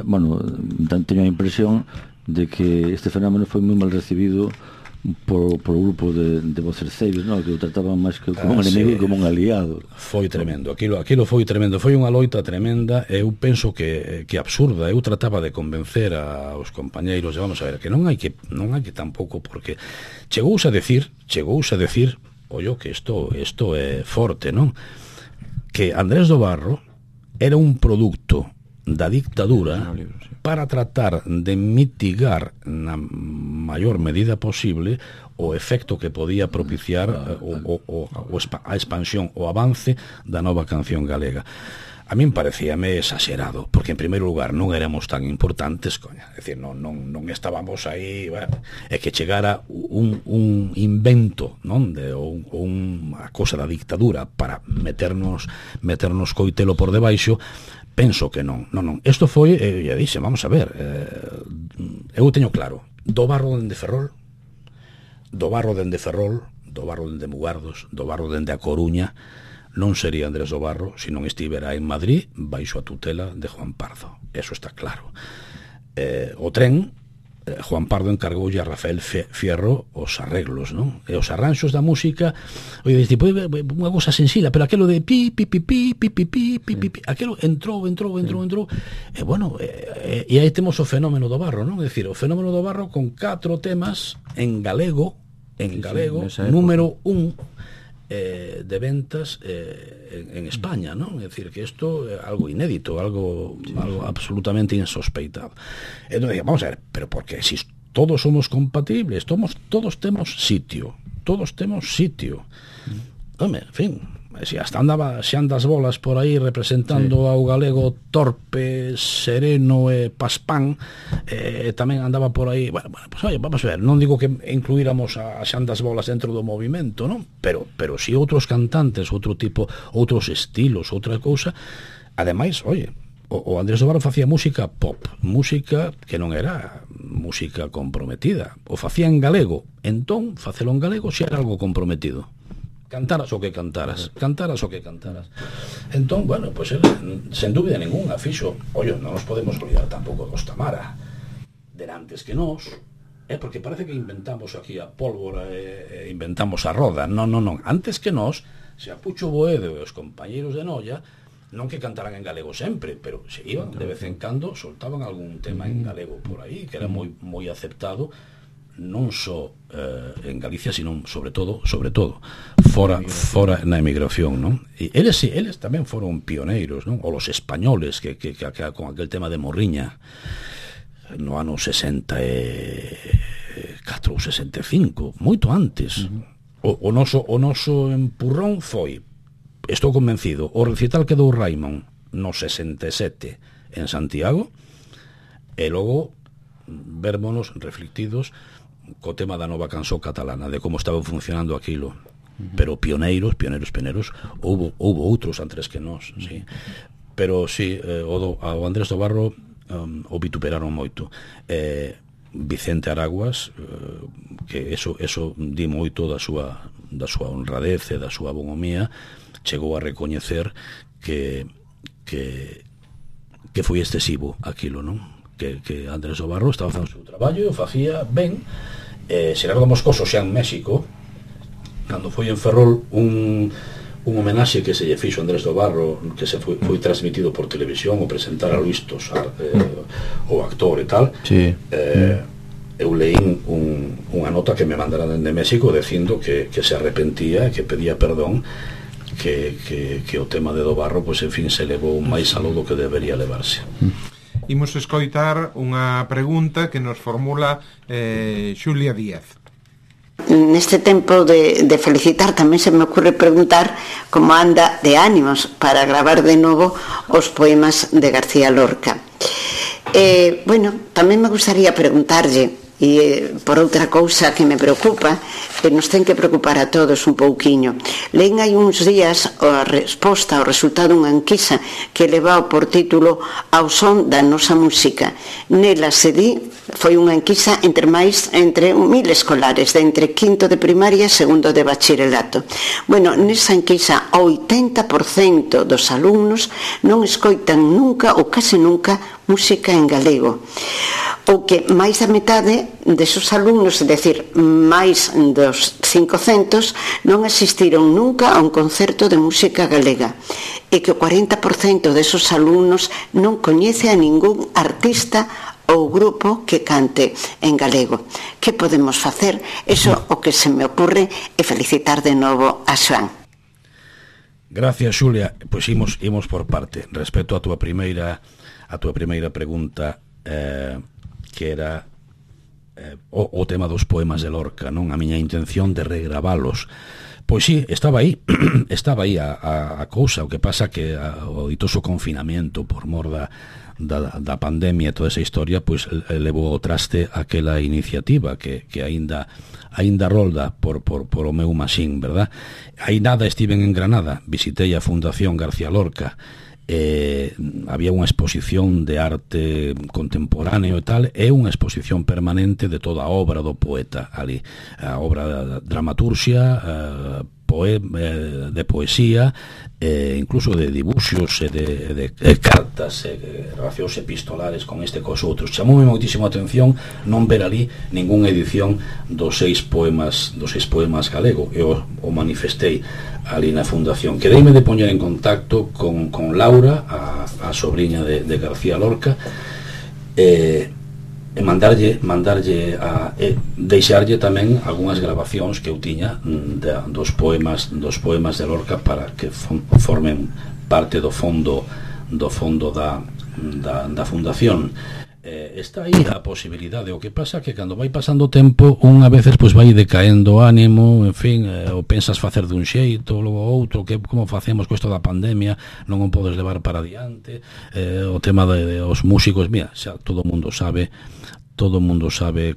bueno, teño a impresión de que este fenómeno foi moi mal recibido por o grupo de vocerceiros, non? Que o trataban máis que como un enemigo que como un aliado. Foi tremendo, aquilo foi tremendo, foi unha loita tremenda, e eu penso que absurda. Eu trataba de convencer aos compañeiros, vamos a ver, que non hai que tampouco, porque chegouse a decir, ollo, que isto é forte, non? Que Andrés do Barro era un producto da dictadura para tratar de mitigar na maior medida posible o efecto que podía propiciar a expansión, o avance da nova canción galega. A min parecíame exagerado, porque en primeiro lugar non éramos tan importantes, coña, é dicir, non estábamos aí, é que chegara un invento, non, ou unha cosa da dictadura para meternos coitelo por debaixo. Penso que non. Isto foi, ya dixe, vamos a ver, eu teño claro, Do Barro dende Ferrol, Do Barro dende Mugardos, Do Barro dende A Coruña, non sería Andrés do Barro se non estivera en Madrid baixo a tutela de Juan Pardo. Eso está claro. O tren, Juan Pardo encargoulle a Rafael Fierro os arreglos, non? E os arranxos da música, oye, tipo, unha cosa sencilla, pero aquelo de pi, pi, pi, pi, pi, pi, pi, pi, pi, pi, aquelo entrou, e bueno, e aí temos o fenómeno do Barro, non? É dicir, o fenómeno do Barro con 4 temas en galego, número 1 de ventas en España, non? É dicir, que isto é algo inédito, algo absolutamente insospeitado. Entón, vamos a ver, pero porque si todos somos compatibles, todos temos sitio. Home, en fin, se andas bolas por aí representando ao galego torpe, sereno e paspán, tamén andaba por aí, bueno, pues oye, vamos a ver, non digo que incluíramos a xandas bolas dentro do movimento, non? Pero si outros cantantes, outro tipo, outros estilos, outra cousa. Ademais, oye, o Andrés do Barro facía música pop, música que non era música comprometida, o facía en galego, entón facelo en galego xa era algo comprometido. cantaras o que cantaras. Entón, bueno, pois ele, sen dúbida ninguna, fixo, non nos podemos olvidar tampouco dos Tamara, derantes que nós, porque parece que inventamos aquí a pólvora e inventamos a roda. Non, antes que nós, se a Pucho Boedo e os compañeiros de Noia, non que cantaran en galego sempre, pero se iban, de vez en cando, soltaban algún tema en galego por aí, que era moi aceptado, non só en Galicia, sino sobre todo fora na emigración, non? E eles tamén foron pioneiros, non? O los españoles que con aquel tema de Morriña no ano 64 ou 65, moito antes. O noso empurrón foi, estou convencido, o recital que dou Raimon no 67 en Santiago, e logo vérmonos reflectidos co tema da nova canción catalana, de como estaba funcionando aquilo. Pero pioneiros, houve outros antes que nós, sí. Pero sí, ao Andrés do Barro o vituperaron moito. Vicente Araguas, que eso di moito da súa honradez e da súa bonomía, chegou a recoñecer que foi excesivo aquilo, non? Que Andrés do Barro estaba facendo o seu traballo e o facía ben. Xerardo Moscoso xa en México, cando foi en Ferrol un homenaxe que se lle fixo a Andrés do Barro, que se foi transmitido por televisión, o presentar a Luis Tosar, o actor e tal, sí. Eu leín unha nota que me mandara dende México dicindo que se arrepentía e que pedía perdón, que o tema de do Barro, pois en fin, se levou máis aló do que debería levarse. Imos escoitar unha pregunta que nos formula Xulia Díaz. Neste tempo de felicitar tamén se me ocurre preguntar como anda de ánimos para gravar de novo os poemas de García Lorca. Bueno, tamén me gustaría preguntarlle, e por outra cousa que me preocupa, que nos ten que preocupar a todos un pouquiño. Len hai uns días a resposta ao resultado dunha enquisa que levaba por título Ao son da nosa música. Nela se di, foi unha enquisa entre 1.000 escolares, de entre quinto de primaria e segundo de bachillerato. Bueno, nesa enquisa, o 80% dos alumnos non escoitan nunca ou case nunca música en galego. O que máis da metade desos alumnos, é dicir, máis dos 500, non asistiron nunca a un concerto de música galega, e que o 40% desos alumnos non coñece a ningún artista ou grupo que cante en galego. Que podemos facer? Eso o que se me ocurre é felicitar de novo a Xoán. Gracias, Xulia. Pois imos por parte. Respecto a túa primeira pregunta, que era o tema dos poemas de Lorca, non? A miña intención de regravalos. Pois sí, estaba aí a cousa. O que pasa que o ditoso confinamento por mor da pandemia e toda esa historia, pois levou ao traste aquela iniciativa que aínda rolda por o meu maxín, verdad? Aí nada estiven en Granada, visitei a Fundación García Lorca, había unha exposición de arte contemporáneo e tal, e unha exposición permanente de toda a obra do poeta ali, a obra da dramaturxia, de poesía, incluso de dibuxos e de cartas, relacións epistolares con este cos outros. Chamoume moitísimo a atención non ver ali ningunha edición dos 6 poemas galego. Eu o manifestei ali na fundación. Quereime de poñer en contacto con Laura, a sobrinha de García Lorca, e mandarlle deixarlle tamén algunhas grabacións que eu tiña dos poemas de Lorca para que formen parte do fondo da fundación. Está aí a posibilidade. O que pasa que cando vai pasando o tempo, unha veces pois vai decaendo o ánimo, en fin, ou pensas facer dun xeito, logo outro, que como facemos co isto da pandemia, non o podes levar para adiante. O tema de os músicos, mira, xa todo o mundo sabe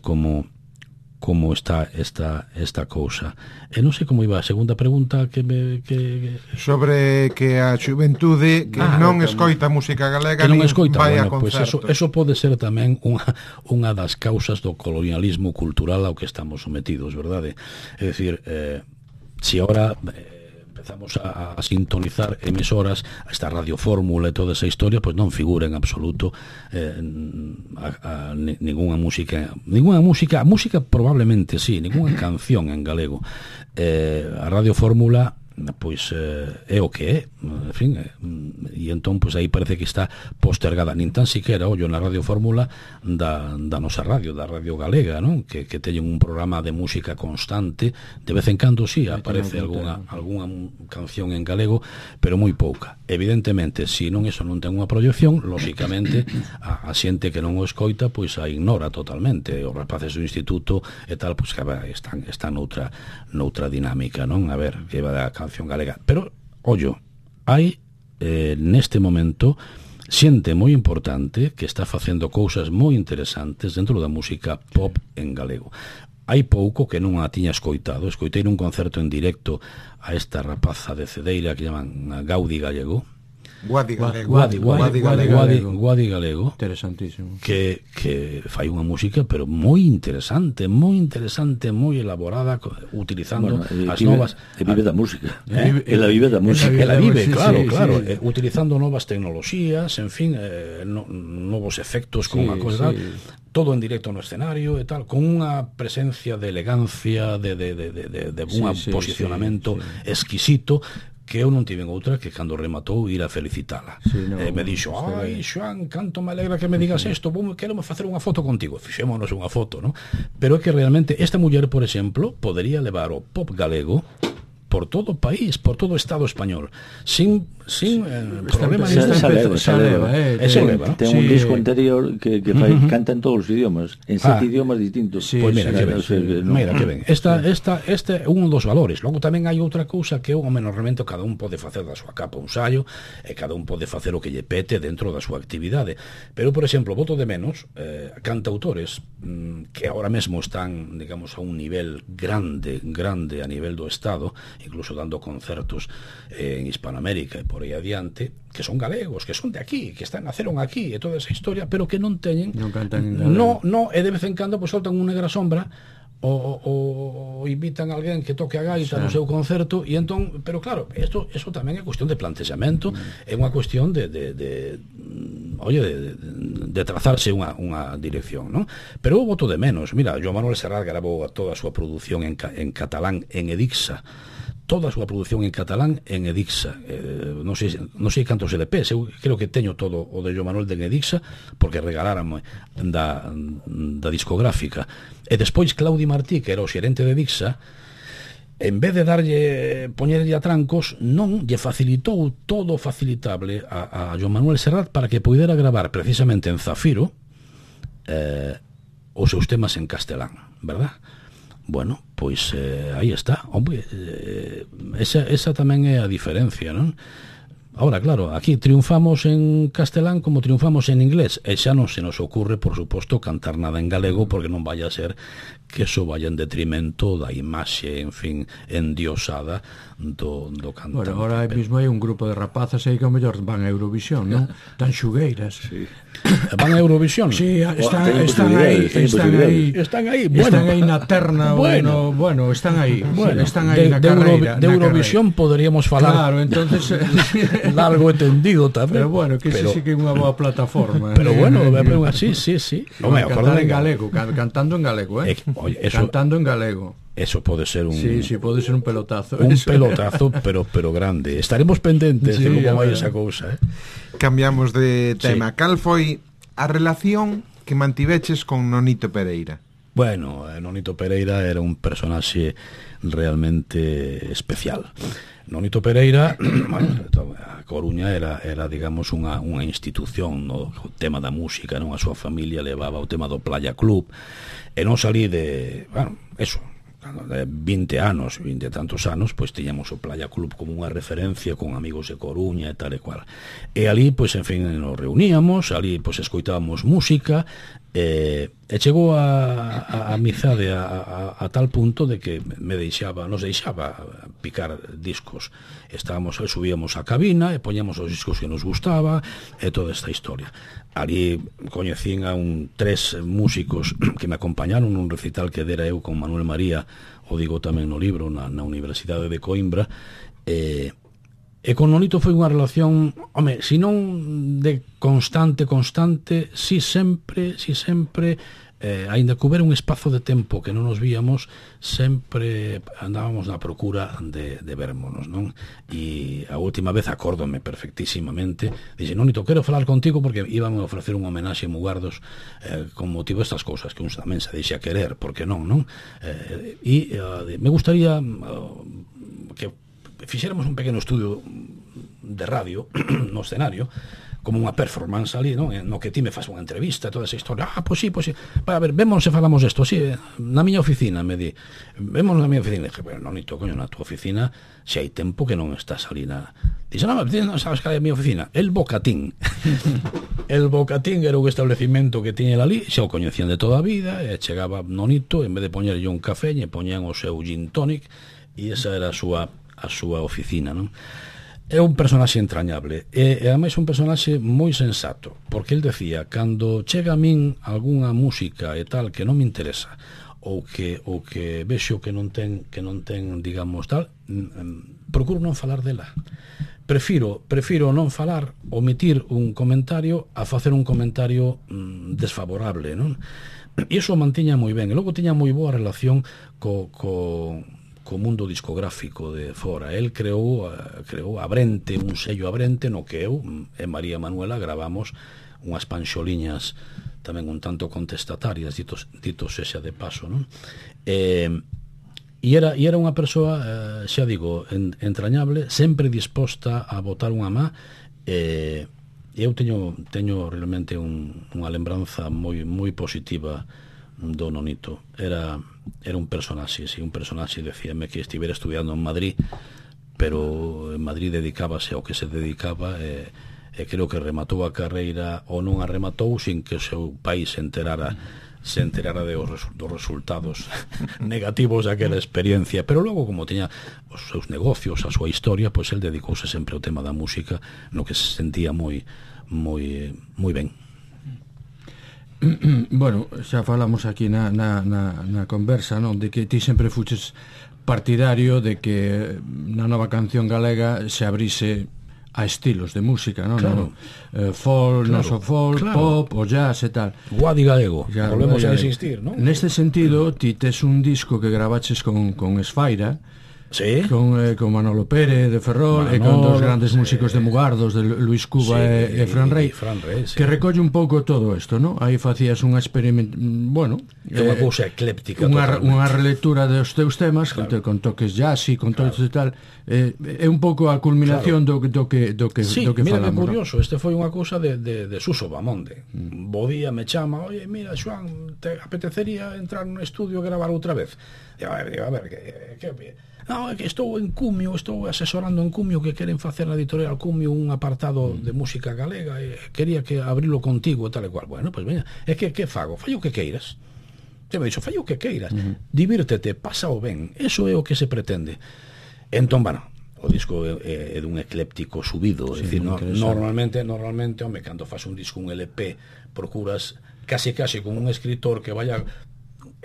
como está esta cousa. E non sei como iba a segunda pregunta que sobre que a xuventude que non escoita música galega, que non escoita, vai a concertos. Pues eso pode ser tamén unha das causas do colonialismo cultural ao que estamos sometidos, verdade? É dicir, si ahora empezamos a sintonizar emisoras, esta Radio Fórmula e toda esa historia, pois non figura en absoluto ninguna música, probablemente sí, ninguna canción en galego. A Radio Fórmula pois é o que é, en fin, e entón pois aí parece que está postergada, nin tan siquiera ollo na Radio Fórmula da nosa radio, da Radio Galega, non? Que teñen un programa de música constante, de vez en cando sí aparece algunha canción en galego, pero moi pouca. Evidentemente, se non eso non ten unha proyección, lóxicamente a xente que non o escoita pois a ignora totalmente. Os rapaces do instituto e tal, pois que están noutra dinámica, non? A ver, que va da canción galega. Pero, ollo, hai neste momento xente moi importante que está facendo cousas moi interesantes dentro da música pop en galego. Hai pouco que non a tiña escoitado. Escoitei nun concerto en directo a esta rapaza de Cedeira que llaman Gaudi Gallego. Guadi Galego. Interesantísimo. Que fai unha música pero moi interesante, moi elaborada, utilizando as novas... E vive da música. Ela vive da música. Ela vive, claro. Utilizando novas tecnoloxías, en fin, novos efectos con unha cosa... todo en directo no escenario e tal, con unha presencia de elegancia, de un posicionamento exquisito, que eu non tiven outra que cando rematou ir a felicitala. Me dixo, ai, Xoan, canto me alegra que me digas isto, quero facer unha foto contigo. Fixémonos unha foto, non? Pero é que realmente esta muller, por exemplo, podería levar o pop galego por todo o país, por todo o Estado español, sin problemas. Se leva. Ten un disco anterior que canta en todos os idiomas, en 7 idiomas distintos. Pois mira que ben. Este é un dos valores. Logo tamén hai outra cousa que o menormente cada un pode facer da súa capa un saio, e cada un pode facer o que lle pete dentro da súa actividade. Pero, por exemplo, boto de menos cantautores que ahora mesmo están, digamos, a un nivel grande a nivel do Estado, incluso dando concertos en Hispanoamérica e por aí adiante, que son galegos, que son de aquí, que naceron aquí e toda esa historia, pero que non teñen, non cantan en galego. E de vez en cando pues soltan unha negra sombra ou invitan a alguén que toque a gaita no seu concerto, e entón, pero claro, eso tamén é cuestión de plantexamento, é unha cuestión de trazarse unha dirección, non? Pero eu voto de menos. Mira, Joan Manuel Serrat grabou toda a súa produción en catalán en Edixa, toda a súa produción en catalán en Edixa. Non sei cantos LPs, eu creo que teño todo o de Joan Manuel de Edixa, porque regalárame da discográfica. E despois Claudi Martí, que era o xerente de Edixa, en vez de poñerlle a trancos, non lle facilitou todo facilitable a Joan Manuel Serrat para que poidera gravar precisamente en Zafiro os seus temas en castelán, verdad? Bueno, pois aí está. Hombre, esa tamén é a diferencia, non? Ahora, claro, aquí triunfamos en castelán como triunfamos en inglés, e xa non se nos ocurre, por suposto, cantar nada en galego, porque non vaya a ser que eso vaya en detrimento da imaxe, en fin, endiosada do cantante. Bueno, agora mesmo hai un grupo de rapazas aí que ao mellor van a Eurovisión, non? Tan xugueiras. Sí. Van a Eurovisión? Sí, están aí na terna. Bueno, están aí na carreira. De Eurovisión poderíamos falar. Claro, entonces largo e tendido tamén. Pero bueno, que sí que é unha boa plataforma. Pero bueno, sí. Cantar en galego, cantando en galego, cantando en galego. Eso pode ser un... Sí, pode ser un pelotazo. Un pelotazo, pero grande. Estaremos pendentes de como vai esa cousa, Cambiamos de tema. Cal foi a relación que mantiveches con Nonito Pereira? Bueno, Nonito Pereira era un personaxe realmente especial. Nonito Pereira, a Coruña era digamos, unha institución no tema da música, non? A súa familia levaba o tema do Playa Club, e non salí de, eso, de 20 anos, 20 e tantos anos, pois tiñamos o Playa Club como unha referencia con amigos de Coruña e tal e cual. E ali, pois, en fin, nos reuníamos, ali, pois, escoitábamos música, E chegou a amizade a tal punto de que nos deixaba picar discos. Subíamos a cabina e poñamos os discos que nos gustaba e toda esta historia. Ali coñecín a 3 músicos que me acompañaron nun recital que dera eu con Manuel María, o digo tamén no libro, na Universidade de Coimbra. E con Nonito foi unha relación, se non de constante, si sempre, aínda que houbera un espazo de tempo que non nos víamos, sempre andábamos na procura de vérmonos, non? E a última vez acórdome perfectísimamente, dixe, Nonito, quero falar contigo porque íbame a ofrecer un homenaxe a Mugardos con motivo destas cousas que uns tamén se deixa querer, porque non? Me gustaría que fixéramos un pequeno estudio de radio no escenario, como unha performance ali, no que ti me faz unha entrevista, toda esa historia. Pois sí. A ver, vemos se falamos desto, sí, na miña oficina, me di. Vemos na miña oficina. Dije, pero Nonito, coño, na tua oficina, se hai tempo que non estás ali na... Dixe, non sabes que é a miña oficina? El Bocatín. El Bocatín era un establecimento que tiña ali, xa o coñecían de toda a vida, e chegaba Nonito, en vez de poñerlle un café, lle poñían o seu gin tonic, e esa era a súa oficina, non? É un personaxe entrañable e ademais un personaxe moi sensato, porque el decía, cando chega a min algunha música e tal que non me interesa ou que vexo que non ten digamos tal, procuro non falar dela. Prefiro non falar, omitir un comentario a facer un comentario desfavorable, non? E iso mantiña moi ben, e logo tiña moi boa relación co mundo discográfico de fora. El creou Abrente, un sello Abrente, no que eu e María Manuela gravamos unhas panxoliñas tamén un tanto contestatarias, dito sexa de paso, non? E era unha persoa, xa digo, entrañable, sempre disposta a botar unha má. Eu teño realmente unha lembranza moi positiva do Nonito. Era un personaxe, decíame que estivera estudiando en Madrid, pero en Madrid dedicábase ao que se dedicaba e creo que rematou a carreira ou non a rematou sin que o seu país se enterara dos resultados negativos daquela experiencia, pero logo, como tiña os seus negocios, a súa historia, pois el dedicouse sempre ao tema da música, no que se sentía moi ben. Bueno, xa falamos aquí na conversa, non, de que ti sempre fuches partidario de que na nova canción galega se abrise a estilos de música, non? Claro. Folk, non so folk, claro. Pop, o jazz e tal. Guadi galego, volvemos a insistir, non? Neste sentido, ti tes un disco que gravaches con Esfaira, sí. Con Manolo Pérez de Ferrol, e con dos grandes músicos de Mugardos, de Luis Cuba e Fran Rey, sí. Que recolle un pouco todo isto, non? Aí facías unha experimento, unha cousa ecléptica, unha relectura dos teus temas, claro. Con toques jazz e con todo isto e tal. É un pouco a culminación, claro. do que sí, falamos. Mira que curioso, este foi unha cousa de Suso Bamonde. Bo día me chama, oye, mira, Xoán, te apetecería entrar nun estudio e gravar outra vez? Digo, a ver, que non, é que estou asesorando en Cumio, que queren facer na editorial Cumio un apartado de música galega e quería que abrilo contigo e tal e cual. Bueno, pois veña, é que fago? Fai o que queiras. Se me dixo, fai o que queiras. Divírtete, pásao ben. Eso é o que se pretende. Entón, bueno, o disco é dun ecléptico subido, é dicir, normalmente, home, cando faz un disco, un LP, procuras case con un escritor que vaya,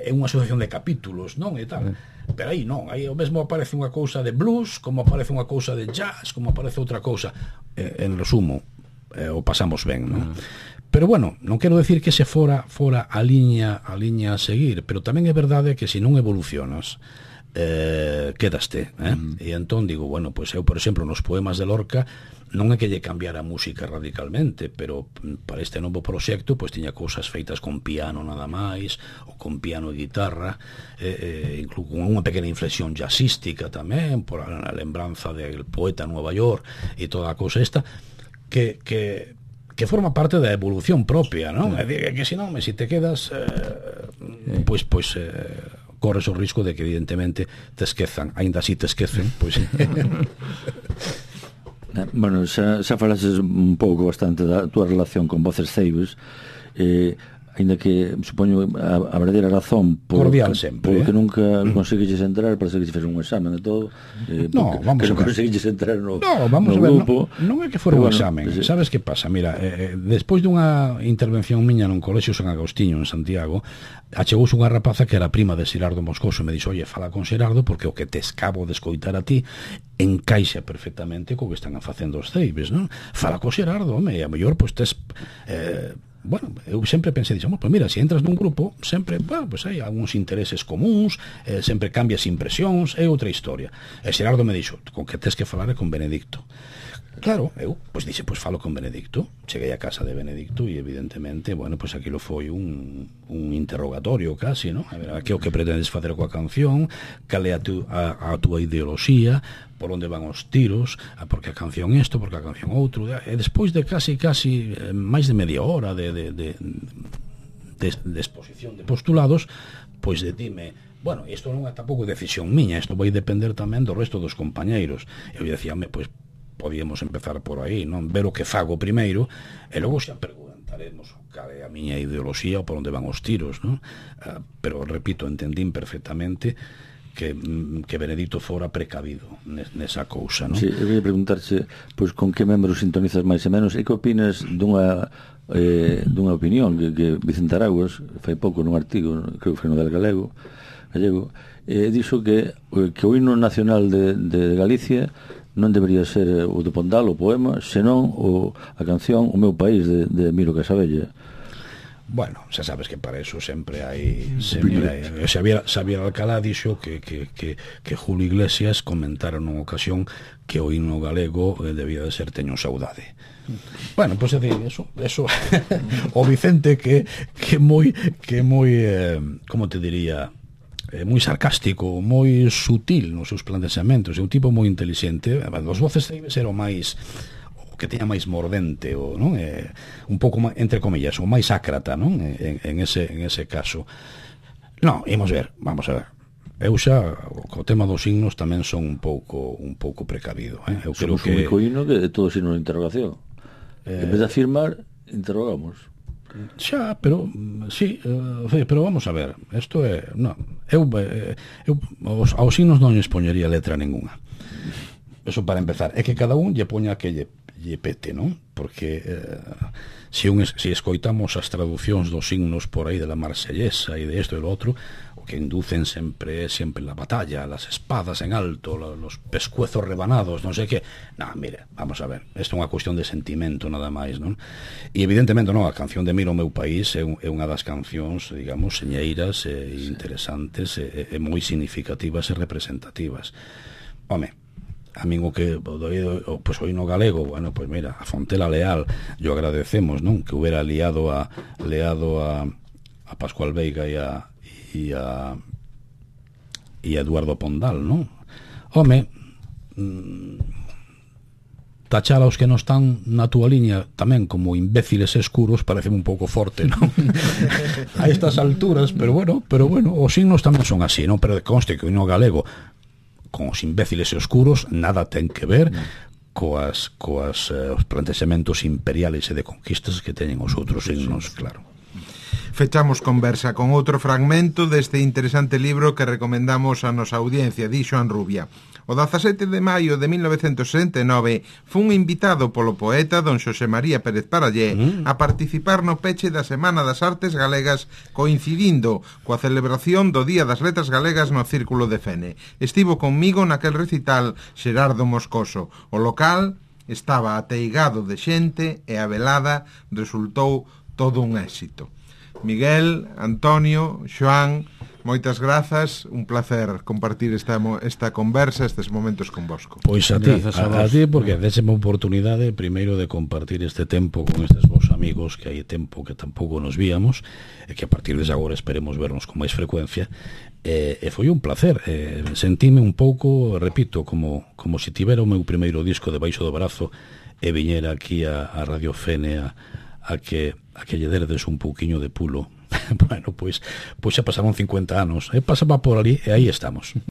é unha asociación de capítulos, non? E tal. Pero aí non, aí o mesmo aparece unha cousa de blues, como aparece unha cousa de jazz, como aparece outra cousa. En resumo, o pasamos ben, non? Pero bueno, non quero decir que se fora a liña a seguir, pero tamén é verdade que se non evolucionas, quedaste, e entón digo, bueno, pois eu, por exemplo, nos poemas de Lorca non é que lle cambiara a música radicalmente, pero para este novo proxecto pois tiña cousas feitas con piano nada máis, ou con piano e guitarra, incluso con unha pequena inflexión jazzística tamén, por a lembranza del poeta Nueva York e toda a cousa esta que forma parte da evolución propia, non? É dicir, que senón, se te quedas pois corres o risco de que evidentemente te esquezan, aínda así te esquecen, pois Bueno, xa falases un pouco bastante da túa relación con Voces Ceibes. ainda que supoño a verdadeira razón cordial sempre, porque nunca conseguiches entrar, parece que se fez un examen e todo, no, vamos que a ver, non conseguiches entrar no grupo. Non é que fora un bueno, examen, sabes que pasa? Mira, despois dunha intervención miña nun colexio San Agostinho en Santiago, achegouse unha rapaza que era prima de Xerardo Moscoso e me dixo, oye, fala con Xerardo porque o que te escabo de escoitar a ti encaixa perfectamente co que están facendo os ceibes, non? Fala co Xerardo, home, e a mellor, pois, tes bueno, eu sempre pensei, dixemos, pois mira, se entras nun grupo, sempre, bueno, pois hai algúns intereses comuns, sempre cambias impresións, é outra historia. E Xerardo me dixo, con que tes que falar é con Benedicto. Claro, eu, pois dixe, pois falo con Benedicto. Cheguei a casa de Benedicto e evidentemente, bueno, pois aquilo foi un interrogatorio casi, non? A ver, que o que pretendes facer coa canción, cal é a túa ideoloxía, por onde van os tiros, porque a canción isto, porque a canción outro, e despois de casi máis de media hora de exposición de postulados, pois dime, bueno, isto non é tampouco decisión miña, isto vai depender tamén do resto dos compañeiros. Eu dicía, pois podíamos empezar por aí, non? Ver o que fago primeiro e logo xa preguntaremos cal é a miña ideoloxía ou por onde van os tiros, non? Pero, repito, entendín perfectamente que Benedicto fora precavido nesa cousa, non? Sí, eu queria preguntarche, pois, con que membros sintonizas máis e menos e que opinas dunha opinión que Vicente Araguas fai pouco nun artigo, creo que foi no del gallego, dixo que o himno nacional de Galicia non debería ser o de Pondal, o poema, senón a canción O meu país de Miro Casabella. Bueno, xa sabes que para eso sempre hai Xavier Alcalá dixo que Julio Iglesias comentara nunha ocasión que o himno galego debía de ser Teño saudade. Bueno, pois é eso o Vicente que moi como te diría, moi sarcástico, moi sutil nos seus planteamentos, é un tipo moi inteligente. Os voces ceibes era o máis, o que teña máis mordente, o, non? Un pouco, entre comillas, o máis ácrata, non? En ese caso. Non, vamos a ver. Eu xa, co tema dos signos tamén son un pouco precavido, Eu creo que... Somos un único himno que é todo signo de interrogación. En vez de afirmar, interrogamos. Xa, pero sí, pero vamos a ver, isto é, non, eu aos signos non lles poñería letra ninguna. Eso para empezar, é que cada un lle poña que lle pete, non? Porque se escoitamos as traducións dos signos por aí de la Marsellesa e de isto e do outro, o que inducen sempre la batalla, las espadas en alto, los pescuezos rebanados, non sei que. Non, mire, vamos a ver, isto é unha cuestión de sentimento nada máis, non? E evidentemente, non, a canción de Miro o meu país é unha das cancións, digamos, señeiras e interesantes e moi significativas e representativas. Home, a min o que pois o himno galego, bueno, pois mira, a Fontela Leal, yo agradecemos, non? Que hubiera liado a Pascual Veiga e a Eduardo Pondal, non? Home, tachar aos que non están na túa liña tamén como imbéciles escuros parece un pouco forte, non? A estas alturas, pero bueno, os signos tamén son así, non? Pero conste que o himno galego con os imbéciles escuros nada ten que ver coas os plantexamentos imperiales e de conquistas que teñen os outros signos, claro. Fechamos conversa con outro fragmento deste interesante libro que recomendamos a nosa audiencia, di Xoán Rubia. O 17 de maio de 1969 fun invitado polo poeta don Xosé María Pérez Parallé a participar no peche da Semana das Artes Galegas, coincidindo coa celebración do Día das Letras Galegas no Círculo de Fene. Estivo conmigo naquel recital Xerardo Moscoso. O local estaba ateigado de xente e a velada resultou todo un éxito. Miguel, Antonio, Xoán, moitas grazas, un placer compartir esta conversa, estes momentos con vosco. Pois a ti, porque déxeme a oportunidade primeiro de compartir este tempo con estes vos amigos, que hai tempo que tampouco nos víamos, e que a partir de agora esperemos vernos con máis frecuencia, e foi un placer, sentime un pouco, repito, como se tivera o meu primeiro disco debaixo do brazo e viñera aquí a Radio Fene a que lle derdes un pouquiño de pulo. Bueno, pois xa pasaron 50 anos, pasaba por ali e aí estamos.